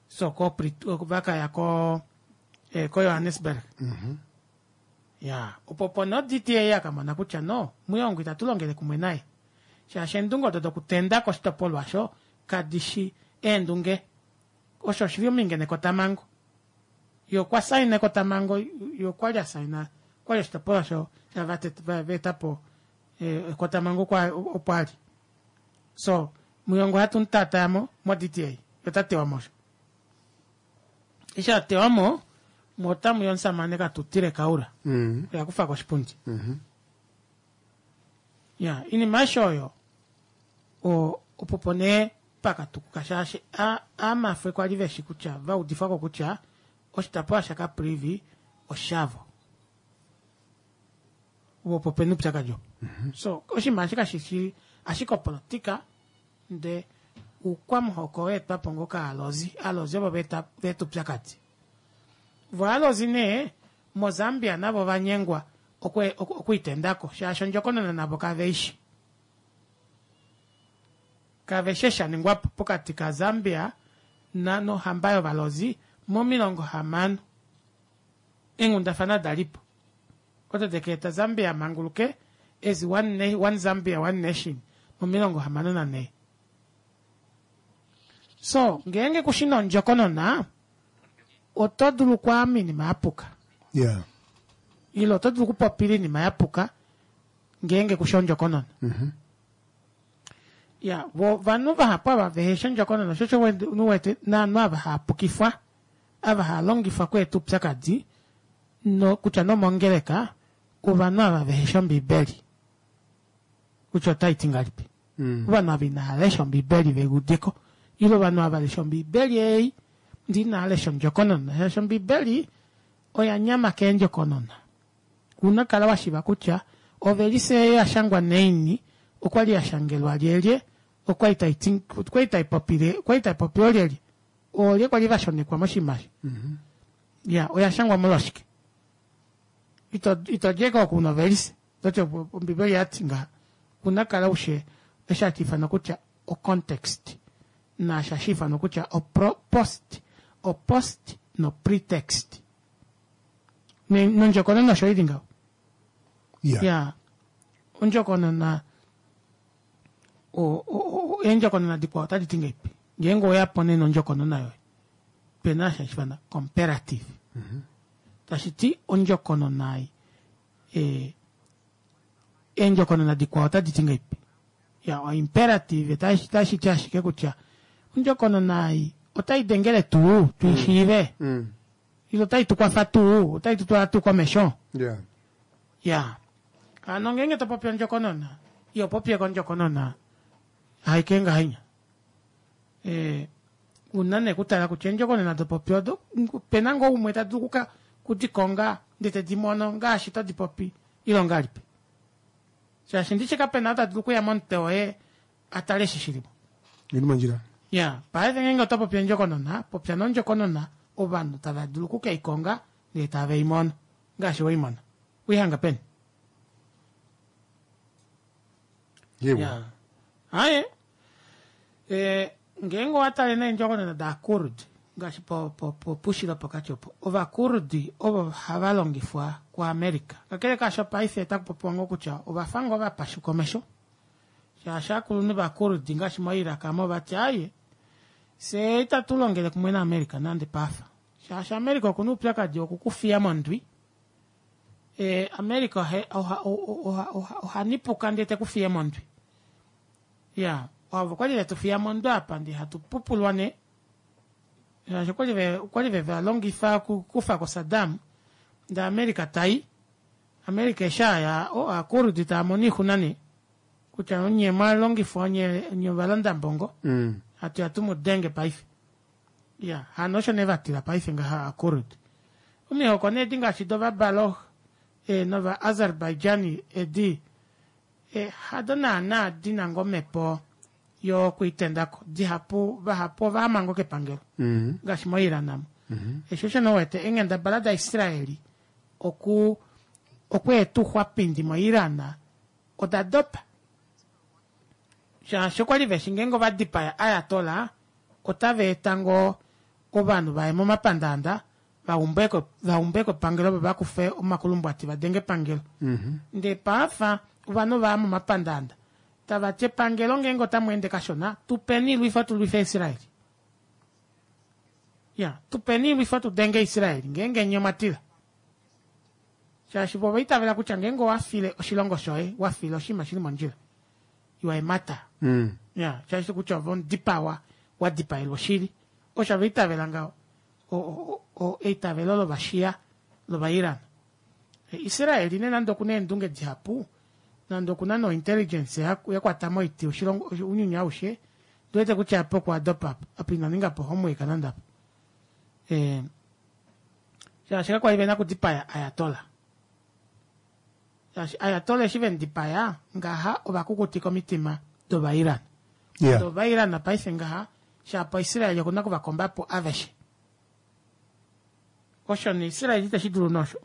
So ko vakaya ko eh, ko Johannesburg. Mm-hmm. Ya, opo po no D T A akamona kutya no Muyongo itatu longele kumwe naye. Shaashi eendunge odo dokutenda koshitopolwa osho kadishi eendunge. Osho oshili ominge nekotamango. Yo okwa saina ekotamango, yo okwa li a saina, okwa li oshitopolwa osho vetapo ekotamango opo ali. So Muyongo hatu mutatayamo mo D T A, yo tewa mo osho. Eshi a tewa mo, mo otamu ya omusamane Katuutire Kaura. Mm. Oya kufa koshipundi. Mm-hmm. Ya, inima aishe oyo, o, opo po nee pakatukuka shaashi a, amafwe kwali veshi kutya, va udifwako kutya, oshitopolwa shaCaprivi oshavo. Opo pena upyakadi opo. So, oshinima eshi kashishi ashike opolitika, nde uukwamuhoko weetwapo ngoo kaalozi. Aalozi ovo veeta upyakadi. Vo aalozi nee, moZambia navo ovanyengwa okuitendako, shaashi ondjokonona navo kaveishi. Kaveshi eshi shaningwapo pokati kaZambia na nohamba yovalozi momilongo hamano. Eenghundafana dalipo. Odo dekeeta Zambia manguluke as one, one Zambia, one nation momilongo hamano nanhee. So, ngeenge kushina ondjokonona, oto dulu okwaama oinima yapuka. Yeah. Ile oto dulu okupopila oinima yapuka ngeenge kushi ondjokonona. Mm-hmm. Ya, vo vanhu vahapu ava veheshi ondjokonona, osho osho wete naanhu ava haapukifwa, ava haalongifwa kweeta upyakadi, no, kutya nomongeleka, ovanhu ava veheshi Ombiibeli. Kutya otai ti ngahelipi. Mm. Ovanhu ava inava lesha Ombiibeli veudeko. Ile ovanhu ava lesha Ombiibeli ei, ndi inava lesha ondjokonona. Shaashi Ombiibeli oya nyama keendjokonona. Una kala washiva kutya ovelise ya shangwa neini, okwali ya shangelwa lyelye, okwali tai ti, okwali tai popile, okwali tai popile lyelye. Oolye kwali vashonekwa moshinima. Mm-hmm. Ya, oya shangwa molwashike. Ito, ito djeko oku novelise. Toti Ombiibeli ya ti ngaha. Una kala ushe, eshi hashi ifanwa kutya o context. Naashi hashi ifanwa kutya o pro, post. O post no pretext. Nondjokonona osho ili ngaho. Yeah. Ya. Ondjokonona, o, o, eendjokonona dikwao otadi ti ngeipi. Ngeenge oya po nee nondjokonona yoye. Pena hashi ifanwa comparative. Mm-hmm. Tashi ti ondjokonona ei, e, eendjokonona dikwao otadi ti ngeipi. Ya, o imperative tashi, tashi ti ashike kutya ondjokonona ei otai dengele tuu tuishiive. Mm. Ile otai tu kwafa tuu, otai tu twala tuu komesho. Yeah. Ya. Hano ngeenge to popi ondjokonona, iyo popye kondjokonona haike ngahenya. E, una nee kutala kutya eendjokonona dopopi odo, pena ngoo umwe ta dulu kuka kudikonga ndele tedi mono ngaashi todi popi ile ongahelipi. Shaashi ndishi kapena ou ta dulu okuya momutwe woye atale eshi shilimo. Ili mondjila. Ya, paife ngeenge oto popi ondjokonona, popya nondjokonona ovanhu tava dulu okukeikonga ndele tave i mono ngaashi we i mona. Uihanga peni? Yewa. Aye. E, ngeenge owa tale neendjokonona daKurd, Ngaashi po, po, po, pushilo pokati opo. Ovakurdi ovo hava longifwa kuAmerica. Kakele kaasho paife otaku popiwa ngoo kutya ovafa ngoo vapashuka omesho. Shaashi aakulunhu vaKurdi ngaashi moIraq amo vati aaye, fye itatu longele kumwe naAmerica nande paafa. Shaashi America okuna oupyakadi wokukufiya mondwi. E, America oha, oha, oha, oha, oha nipuka ndee tekufiye mondwi. Ya, ovo okwali vetufiya mondwi apa ndee hatu pupulwa nee. Shaashi okwali ve, okwali ve valongifa okukufa ko Saddam, ndee America tai. America eshi aya, o, aakurdi taa mono oixuna nee. Kutya onye mwalongifwa, onye, onye ovalandambongo. Mm. Hatu ya tumu denge paife. Ya, hano osho nee vatila paife ngaha aakurdi. Omihoko nee edi ngaashi dOvabaloch e, nOva-Azerbaijani edi e, hado naana dina ngoo omhepo yokwiitendako. Dihapu, vahapu ovaama ngoo kepangelo. Mm. Ngaashi moIran amo. Mm -hmm. Eshi osho nee wete eenghendabala daIsraeli oku okweeta ouxwapindi moIran oda dopa. Shaashi okwali veshi ngeenge ova dipaya Ayatollah otava eta ngoo ovanhu vaye momapandaanda vaumbeko vaumbeko epangelo vo vakufe omakulumbwati vadenge epangelo. Mm -hmm. Ndee paafa ovanhu ovaya momapandaanda tava ti epangelo ngeenge otamu ende kashona tupeni ilwifo tulwife Israel. Ya, tupeni ilwifo tudenge Israel ngeenge nye omwa tila. Shaashi vo ovaitavela kutya ngeenge owafile oshilongo shoye, wafile oshinima shili mondjila, you are a martyr. Mm. Ya, shaashi kutya ove omudipawa, wadipaelwa oshili. Osho ovaitavela ngaho. O, o, o, eitavelo lovashia lovaIran. Israel ne nande okuna eendunge dihapu, nande okuna no intelligence ya, ya kwata moiti oshilongo ounyuni aushe, ndiwete kutya apa okwa dopa apa, apa ina ninga po homework nande apa. E, shaashi kakwali vena okudipaya Ayatollah. Shaashi Ayatollah eshi vemudipaya ngaha ovakukutika omitima dOvairan. Yeah. DOvairan paife ngaha shapo Israel okuna okuvakomba po aveshe. Osho ne Israel itashi dulu nosho.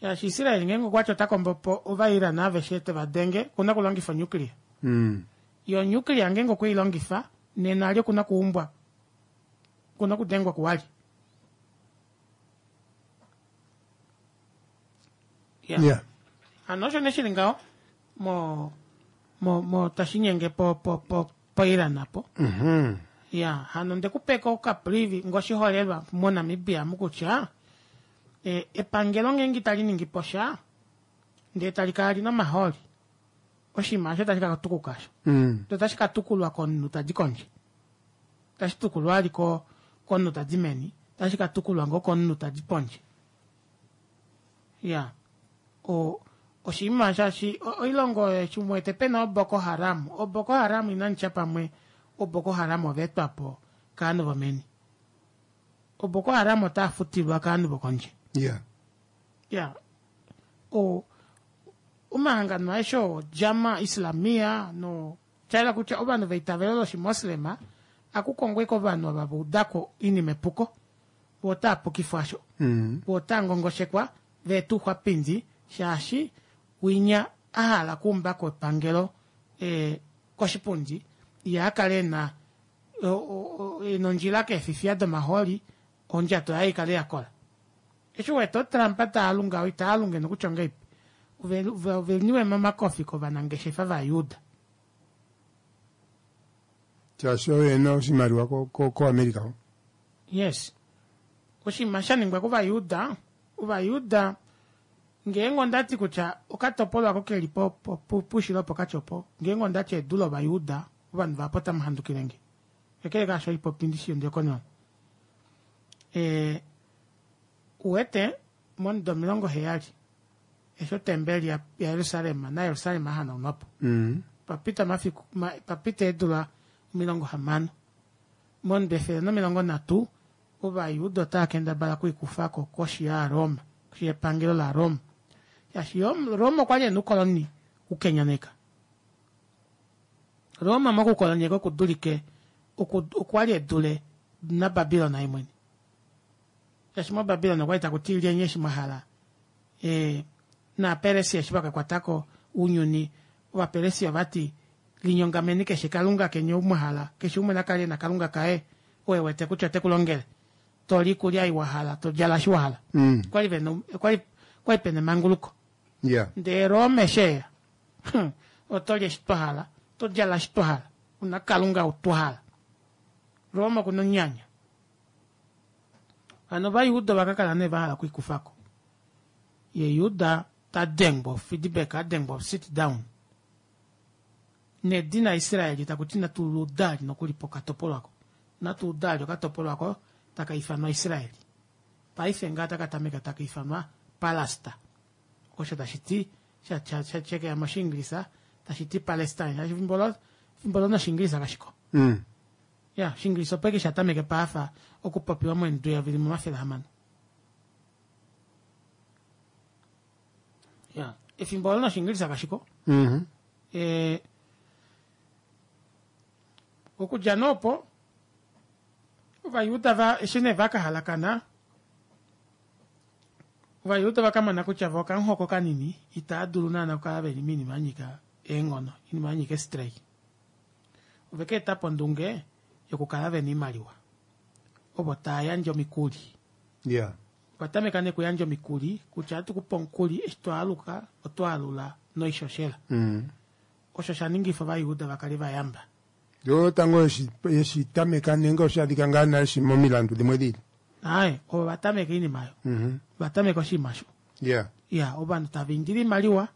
Shaashi Israel ngeenge okwati ota kombo po Ovairan aveshe teva denge, okuna okulongifa onuclear. Mm. Yo nuclear ngeenge okwe i longifa, nena ali okuna okuumbwa. Okuna okudengwa kuwali. Yeah. Yeah. Hano osho nee shili ngaho mo mo mo tashinyenge po po po poIran apo. Mm-hmm. Ya, hano ndekupeka okaprivi ngoshiholelwa moNamibia mukutya e, epangelo ngeenge itali ningi po sha ndee tali kala lina omahooli, oshinima osho tashi ka tukuka osho. Mm. Otashi ka tukulwa komunhu tadi kondje. Tashi tukulwa ali ko komunhu tadi meni, tashi ka tukulwa ngoo komunhu tadi pondje. Ya. O oshinima shaashi oilongo oyo eshi muwete pena oBoko Haram, oBoko Haram inanitya pamwe oBoko Haram ovaetwa po kaanhu vomeni. OBoko Haram otaa futilwa kaanhu vokondje. Yeah. Ya. O omahangano aeshe oo Jama Islamia no shaela kutya ovanhu veitavelo loshimoslema akukongwe kovanhu ava vaudako oinima epuko, vo otaa pukifwa asho. Mm. Vo otaa ngongoshekwa veeta ouxwapindi shaashi winya ahala okuumbako epangelo e, koshipundi ye akale ena ena ondjila keefifiya domahooli ondjato yaye ikale yakola. Eshi wete oTrump taalunga itaalunge nokutya ongeipi oveniwe momakofi kovanangeshefa vaJuda. Shaashi oye ena oshimaliwa ko, ko, ko America. Yes. Oshinima sha ningwa kOvajuda, Ovajuda ngeenge ondati kutya okatopolwa ako keli po, po, po, pushilo pokati opo, ngeenge ondati edu lOvajuda, ovanhu vahapu otamu handukile nge. Kakele kaasho oipopi ndishi yondiyokonona. E, uwete momudo omilongo heyali eshi otembeli ya Jerusalem naJerusalem ahanaunwa po. Mm. Papita mafiku, ma, papita eedula omilongo hamano. Momudo efele nomilongo nhatu Ovajuda otava kendabala okuikufako koshi yaRoma, koshi yepangelo laRoma. Shaashi Roma okwa li ena oukoloni ukenyaneka. Roma mokukolonyeka okudulike okwa li edule naBabilon ye mwene. Shaashi moBabilon okwa li taku ti lyeni eshi mwa hala. E, naaPersia eshi vakakwatako ounyuni, Ovapersia ovati Linyongameni keshe kalunga keni ou mwa hala, keshe umwe na kale e na kalunga kaye oo e wete kutya ote ku longele. To li ikulya ei wa hala, to djala eshi wa hala. Mm. Okwa li ve na okwa li okwa li pena emanguluko. Yeah. Ndele Rome eshi eya, oto li eshi twa hala, oto djala eshi twa hala, una kalunga ou twa hala. Rome okuna onyanya. Hano Ovajuda ova ka kala nee va hala okwiikufa ko. Ye Juda ta dengwa feedback, a dengwa sit down. Nedina Israeli taku ti natu ludali nokuli pokatopolwa ko. Natu udali okatopolwa ko taka ifanwa Israeli. Paife ngaa taka tameka taka ifanwa Palasta. Osho tashi ti sha sha sha shekeya mOshiingilisa tashi ti Palestine. Shaashi fimbo olo fimbo olo nOshiingilisa kashiko. Mm. Ya, Oshiingilisa opo ashike sha tameke paafa okupopiwa moendu yavili momafele ahamano. Ya, efimbo olo nOshiingilisa kashiko. Mm -hmm. E, okudja nee opo Ovajuda va eshi nee va ka halakana Ovajuda va ka mona kutya vo okamuhoko kanini itaa dulu naana okukala ve li moinima ya nyika eenghono, oinima ya nyika estrike. Ove ka eta po ondunge yokukala ve na oimaliwa ovo taa yandje omikuli. Yeah. Ova tameka nee okuyandja omikuli kutya ohatu ku pe omukuli eshi to aluka oto alula noishoshela. Mm. Osho sha ningifa Ovajuda va kale va yamba. Yo tango yeshi yeshi tameka nenge osha adhika ngaa nale shi momilandu dhimwe dhiili. Aaye, ovo va tameka oinima oyo. Mhm. Va tameka oshinima osho. Yeah. Ya, ovanhu tava indile oimaliwa,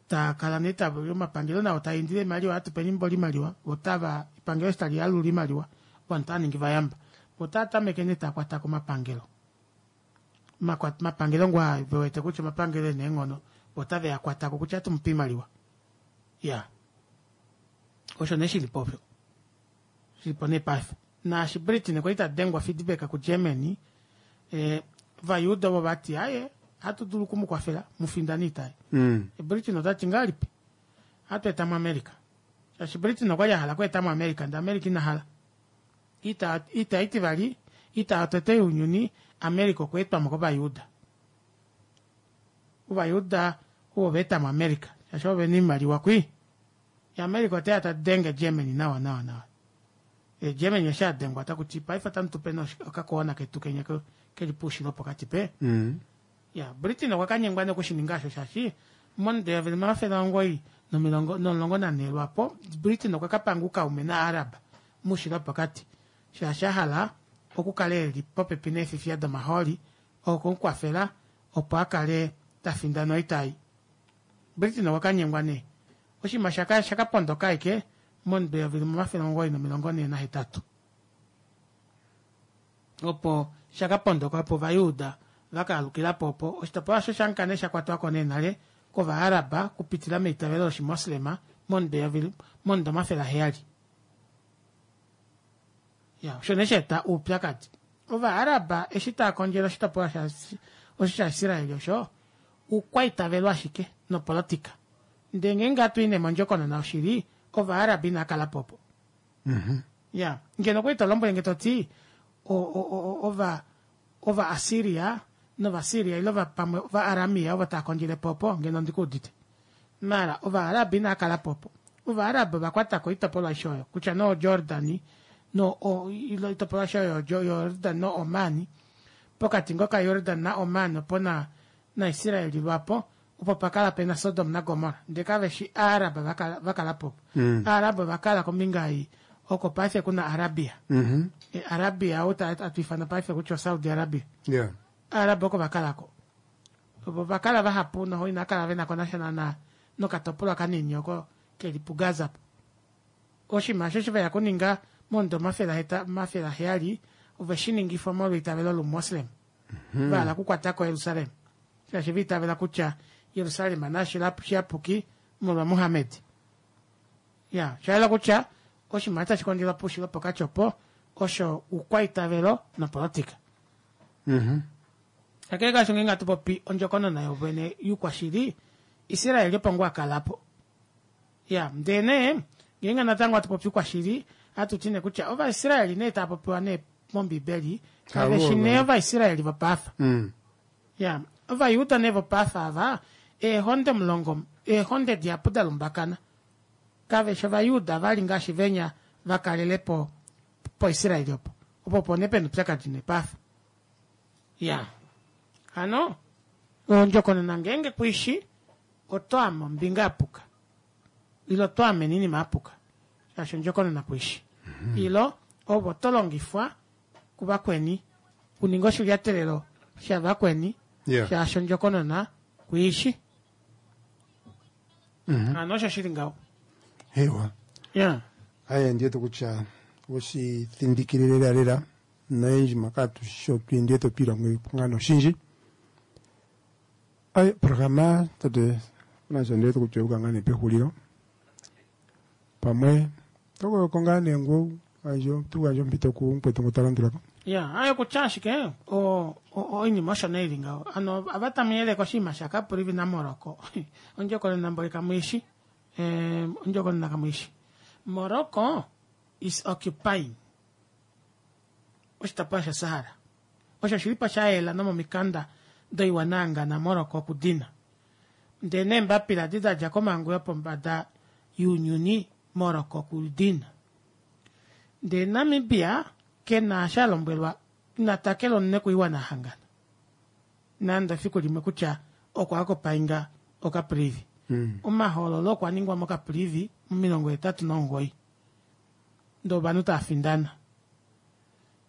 taa kala nee tava, omapangelo nao taa indile oimaliwa, hatu peni mboli oimaliwa, vo otava, epangelo eshi tali alula oimaliwa, ovanhu otava ningi vayamba. Vo otava tameke nee taa kwata ko omapangelo. Makwa- Omapangelo ngoo aa ve wete kutya omapangelo e na eenghono, vo otave a kwata ko kutya ohatu mu pe oimaliwa. Ya. Osho nee shili po osho. Shili po nee paife. Naashi Britain kwali ta dengwa feedback kuGermany, eh, Ovajuda ovo vati, aye, hatu dulu oku mu kwafela mu findane oita ei. Mm. Britain ota ti ngahelipi? Ohatu eta mo America. Shaashi Britain okwa li a hala okweeta mo America, ndele America ina hala. Oita, oita itivali, oita yotete younyuni, America okwa etwa mo kOvajuda. Ovajuda ovo va eta mo America, shaashi ovo vena oimaliwa kwii. Ye America oteya ta denge Germany nawa nawa nawa. Ye Germany eshi a dengwa otaku ti paife otamu tu pe nee okakoona ketu kenya keli poushilo pokati pe. Mm. Ya, Britain okwa ka nyengwa nee okushininga osho shaashi momudo eyovi limwe omafele omugoyi nomilongo nomulongo nanhee lwaapo, Britain okwa ka panga oukaume naArab moushilo wopokati shaashi a hala okukala e li popepi neefifiya domahooli oku mu kwafela opo a kale ta findana oita ei. Britain okwa ka nyengwa nee. Oshinima osha ka osha ka pondoka ashike momudo eyovi limwe omafele omugoyi nomilongo nhee nahetatu. Opo sha ka pondoka opo Ovajuda va ka alukila po opo oshitopolwa osho sha kala nee sha kwatwa ko nee nale kOvaaraba okupitila meitavelo lOshimoslema momudo eyovi momudo omafele aheyali. Ya, osho nee sha eta oupyakadi. Ovaaraba eshi tava kondjele oshitopolwa sha osho shaIsrael osho, oukwaitavelo ashike nopolotika. Ndele ngeenge hatu i nee mondjokonona yoshili, Ovaaraba inava kala po opo. Ya, ngeno okwali to lombwele nge to ti, o, o, o, ova, Ovaasiria nOvasiria ile ova, pamwe Ovaaramia ovo tava kondjele po opo, ngeno ondi ku udite. Maala Ovaaraba inava kala po opo. Ovaaraba ova kwata ko oitopolwa aishe oyo, kutya nee oJordani, no, o, ile oitopolwa aishe oyo Jordan noOmani, pokati ngoo kaJordan naOman opo na, naIsrael lwapo, opo pa kala pe na Sodom naGomorra. Ndele kave shi Aaraba va kala, va kala po opo. Mm. Aaraba ova kala kombinga ei oko paife ku na Arabia. Mm-hmm. E, Arabia ou ta- hatu ifana paife kutya oSaudi Arabia. Yeah. Aaraba oko va kala ko. Ovo va kala vahapu noho inava kala ve na ko nasha naana nokatopolwa kanini oko ke li puGaza. Oshinima osho eshi ve ya kuninga momudo omafele aheta- omafele aheyali, ove shi ningifa omolweitavelo lOumoslem. Hmm. Va hala okukwata ko Jerusalem. Shaashi va itavela kutya Jerusalem nashi shiyapuki molwa Muhammed. Ya, osha yela kutya oshinima otashi kondjelwa poushilo pokati opo osho oukwaitavelo nopolotika. Mm-hmm. Kakele kaasho ngeenge hatu popi ondjokonona yovene youkwashili, Israel opo ngoo a kala po. Ya, ndele nee, ngeenge natango hatu popi oukwashili, ohatu ti nee kutya Ovaisraeli nee tava popiwa nee mOmbibeli, kave shi nee Ovaisraeli vopaafa. Mm. Ya, Ovajuda nee vopaafa ava, eehonde omulongo, eehonde dihapu da lumbakana. Kave shi Ovajuda vali ngaashi venya va kalele po poIsraeli opo. Opo opo nee pena oupyakadi nee paife. Ya. Hano, ondjokonona ngeenge kuishi, oto ame ombinga yapuka. Ile oto amene oinima yapuka. Shaashi ondjokonona kuishi. Ile ove oto longifwa kuvakweni kuninga oshilyatelelo shavakweni Yeah. shaashi ondjokonona kuishi. Hano osho shili ngaho. Ewa. Yeah. Aye ndiwete kutya oshithindikile lela lela noyendji maka sho ndiwete otwiilongo nga noshindji. Aye programa tate nasho ndiwete kutya oyuka ngaa nee pehulilo pamwe tokoyoko ngaa nee ngu gandje tugandje ompito kumukwetu ngu talandulako. Ya, ayo kutya ashike o- o- oinima osho nee ili ngaho. Hano ava tamu yeleke oshinima shaCaprivi naMorocco. Ondjokonona mboli kamuishi. Eh, ondjokonona kamuishi. Morocco is occupying oshitopolwa shaSahara. Osho shili po shayela nomomikanda doiwana Morocco okudina. Ndele neembapila edi dadja komhangu yopombada younyuni Morocco okudina. Ndele Namibia kena eshi alombwelwa ina takelwa omunwe koiwana yahangana. Nande efiku limwe kutya okwa occupyinga oCaprivi. Omahoololo okwa ningwa moCaprivi momilongo hetatu nomugoyi. Ndee ovanhu tava findana.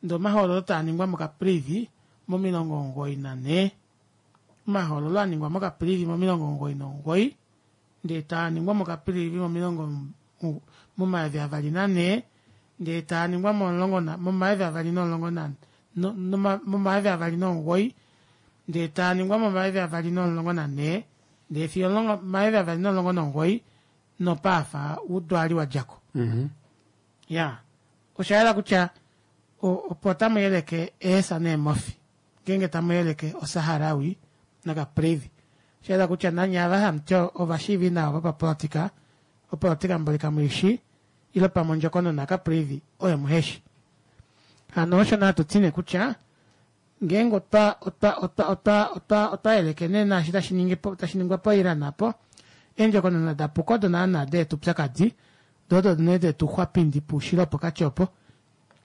Ndee omahoololo taa ningwa moCaprivi momilongo omugoyi nanhee. Omahoololo aningwa moCaprivi momilongo omugoyi nomugoyi ndee taaningwa moCaprivi momilongo momayovi avali nanhee ndee taaningwa momulongo momayovi avali nomulongo na momayovi avali nomugoyi ndee taaningwa momayovi avali nomulongo nanhee ndee fiyo omayovi avali nomulongo nomugoyi nopaafa udwali wadjako. Ya, oshayela kutya opo tamu yeleke eesa neemofi ngeenge tamu yeleke oSaharawi naCaprivi. Oshayela kutya nanye ava hamuti ovashiivi nawa vopapolitika, opolitika mboli kamuishi ile pamwe ondjokonona yaCaprivi oyo muheshi. Hano osho nee hatuti nee kutya ngeenge otwa otwa otwa otwa otwa otwa yeleke nee naashi tashi ningi po tashi ningwa poIran apo, eendjokonona dapuka odo naana deeta oupyakadi, doo odo nee detu xwapindi poushilo wopokati opo.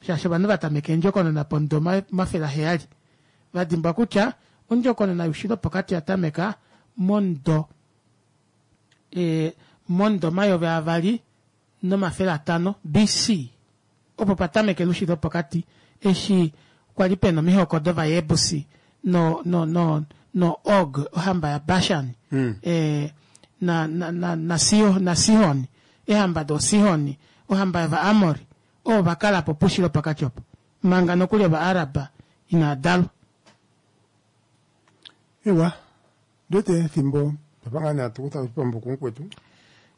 Shaashi ovanhu vatameka eendjokonona pomudo omafele aheyali. Vadimbwa kutya ondjokonona youshilo wopokati oyatameka momudo e momudo omayovi avali nomafele atano B C opo patamekela oushilo wopokati eshi kwali pena omihoko dOvayebusi no no no no Og ohamba yaBashan e na na na na Sihon ehamba doSihon ohamba yOvaamori ovo vakalapo poushilo wopokati opo manga nokuli Ovaarab inadalwa. Ewa, ndiwete efimbo twapa ngaa nee hatu kutha oshipambu kumukwetu.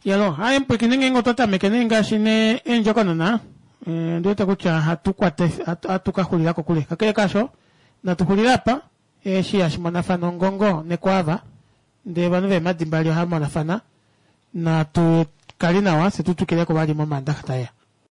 Yalo, haye mupwiikine ngeenge otwa tameke nee ngaashi nee eendjokonona ndiwete kutya hatu kwata hatu ka xulila kokule. Kakele kaasho, natu xulile apa eshi hashi monafana ongongo nekwaava ndee ovanhu veemadi mbali ohava monafana. Natu kali nawa fye tu twikileko vali momaandaxa taeya.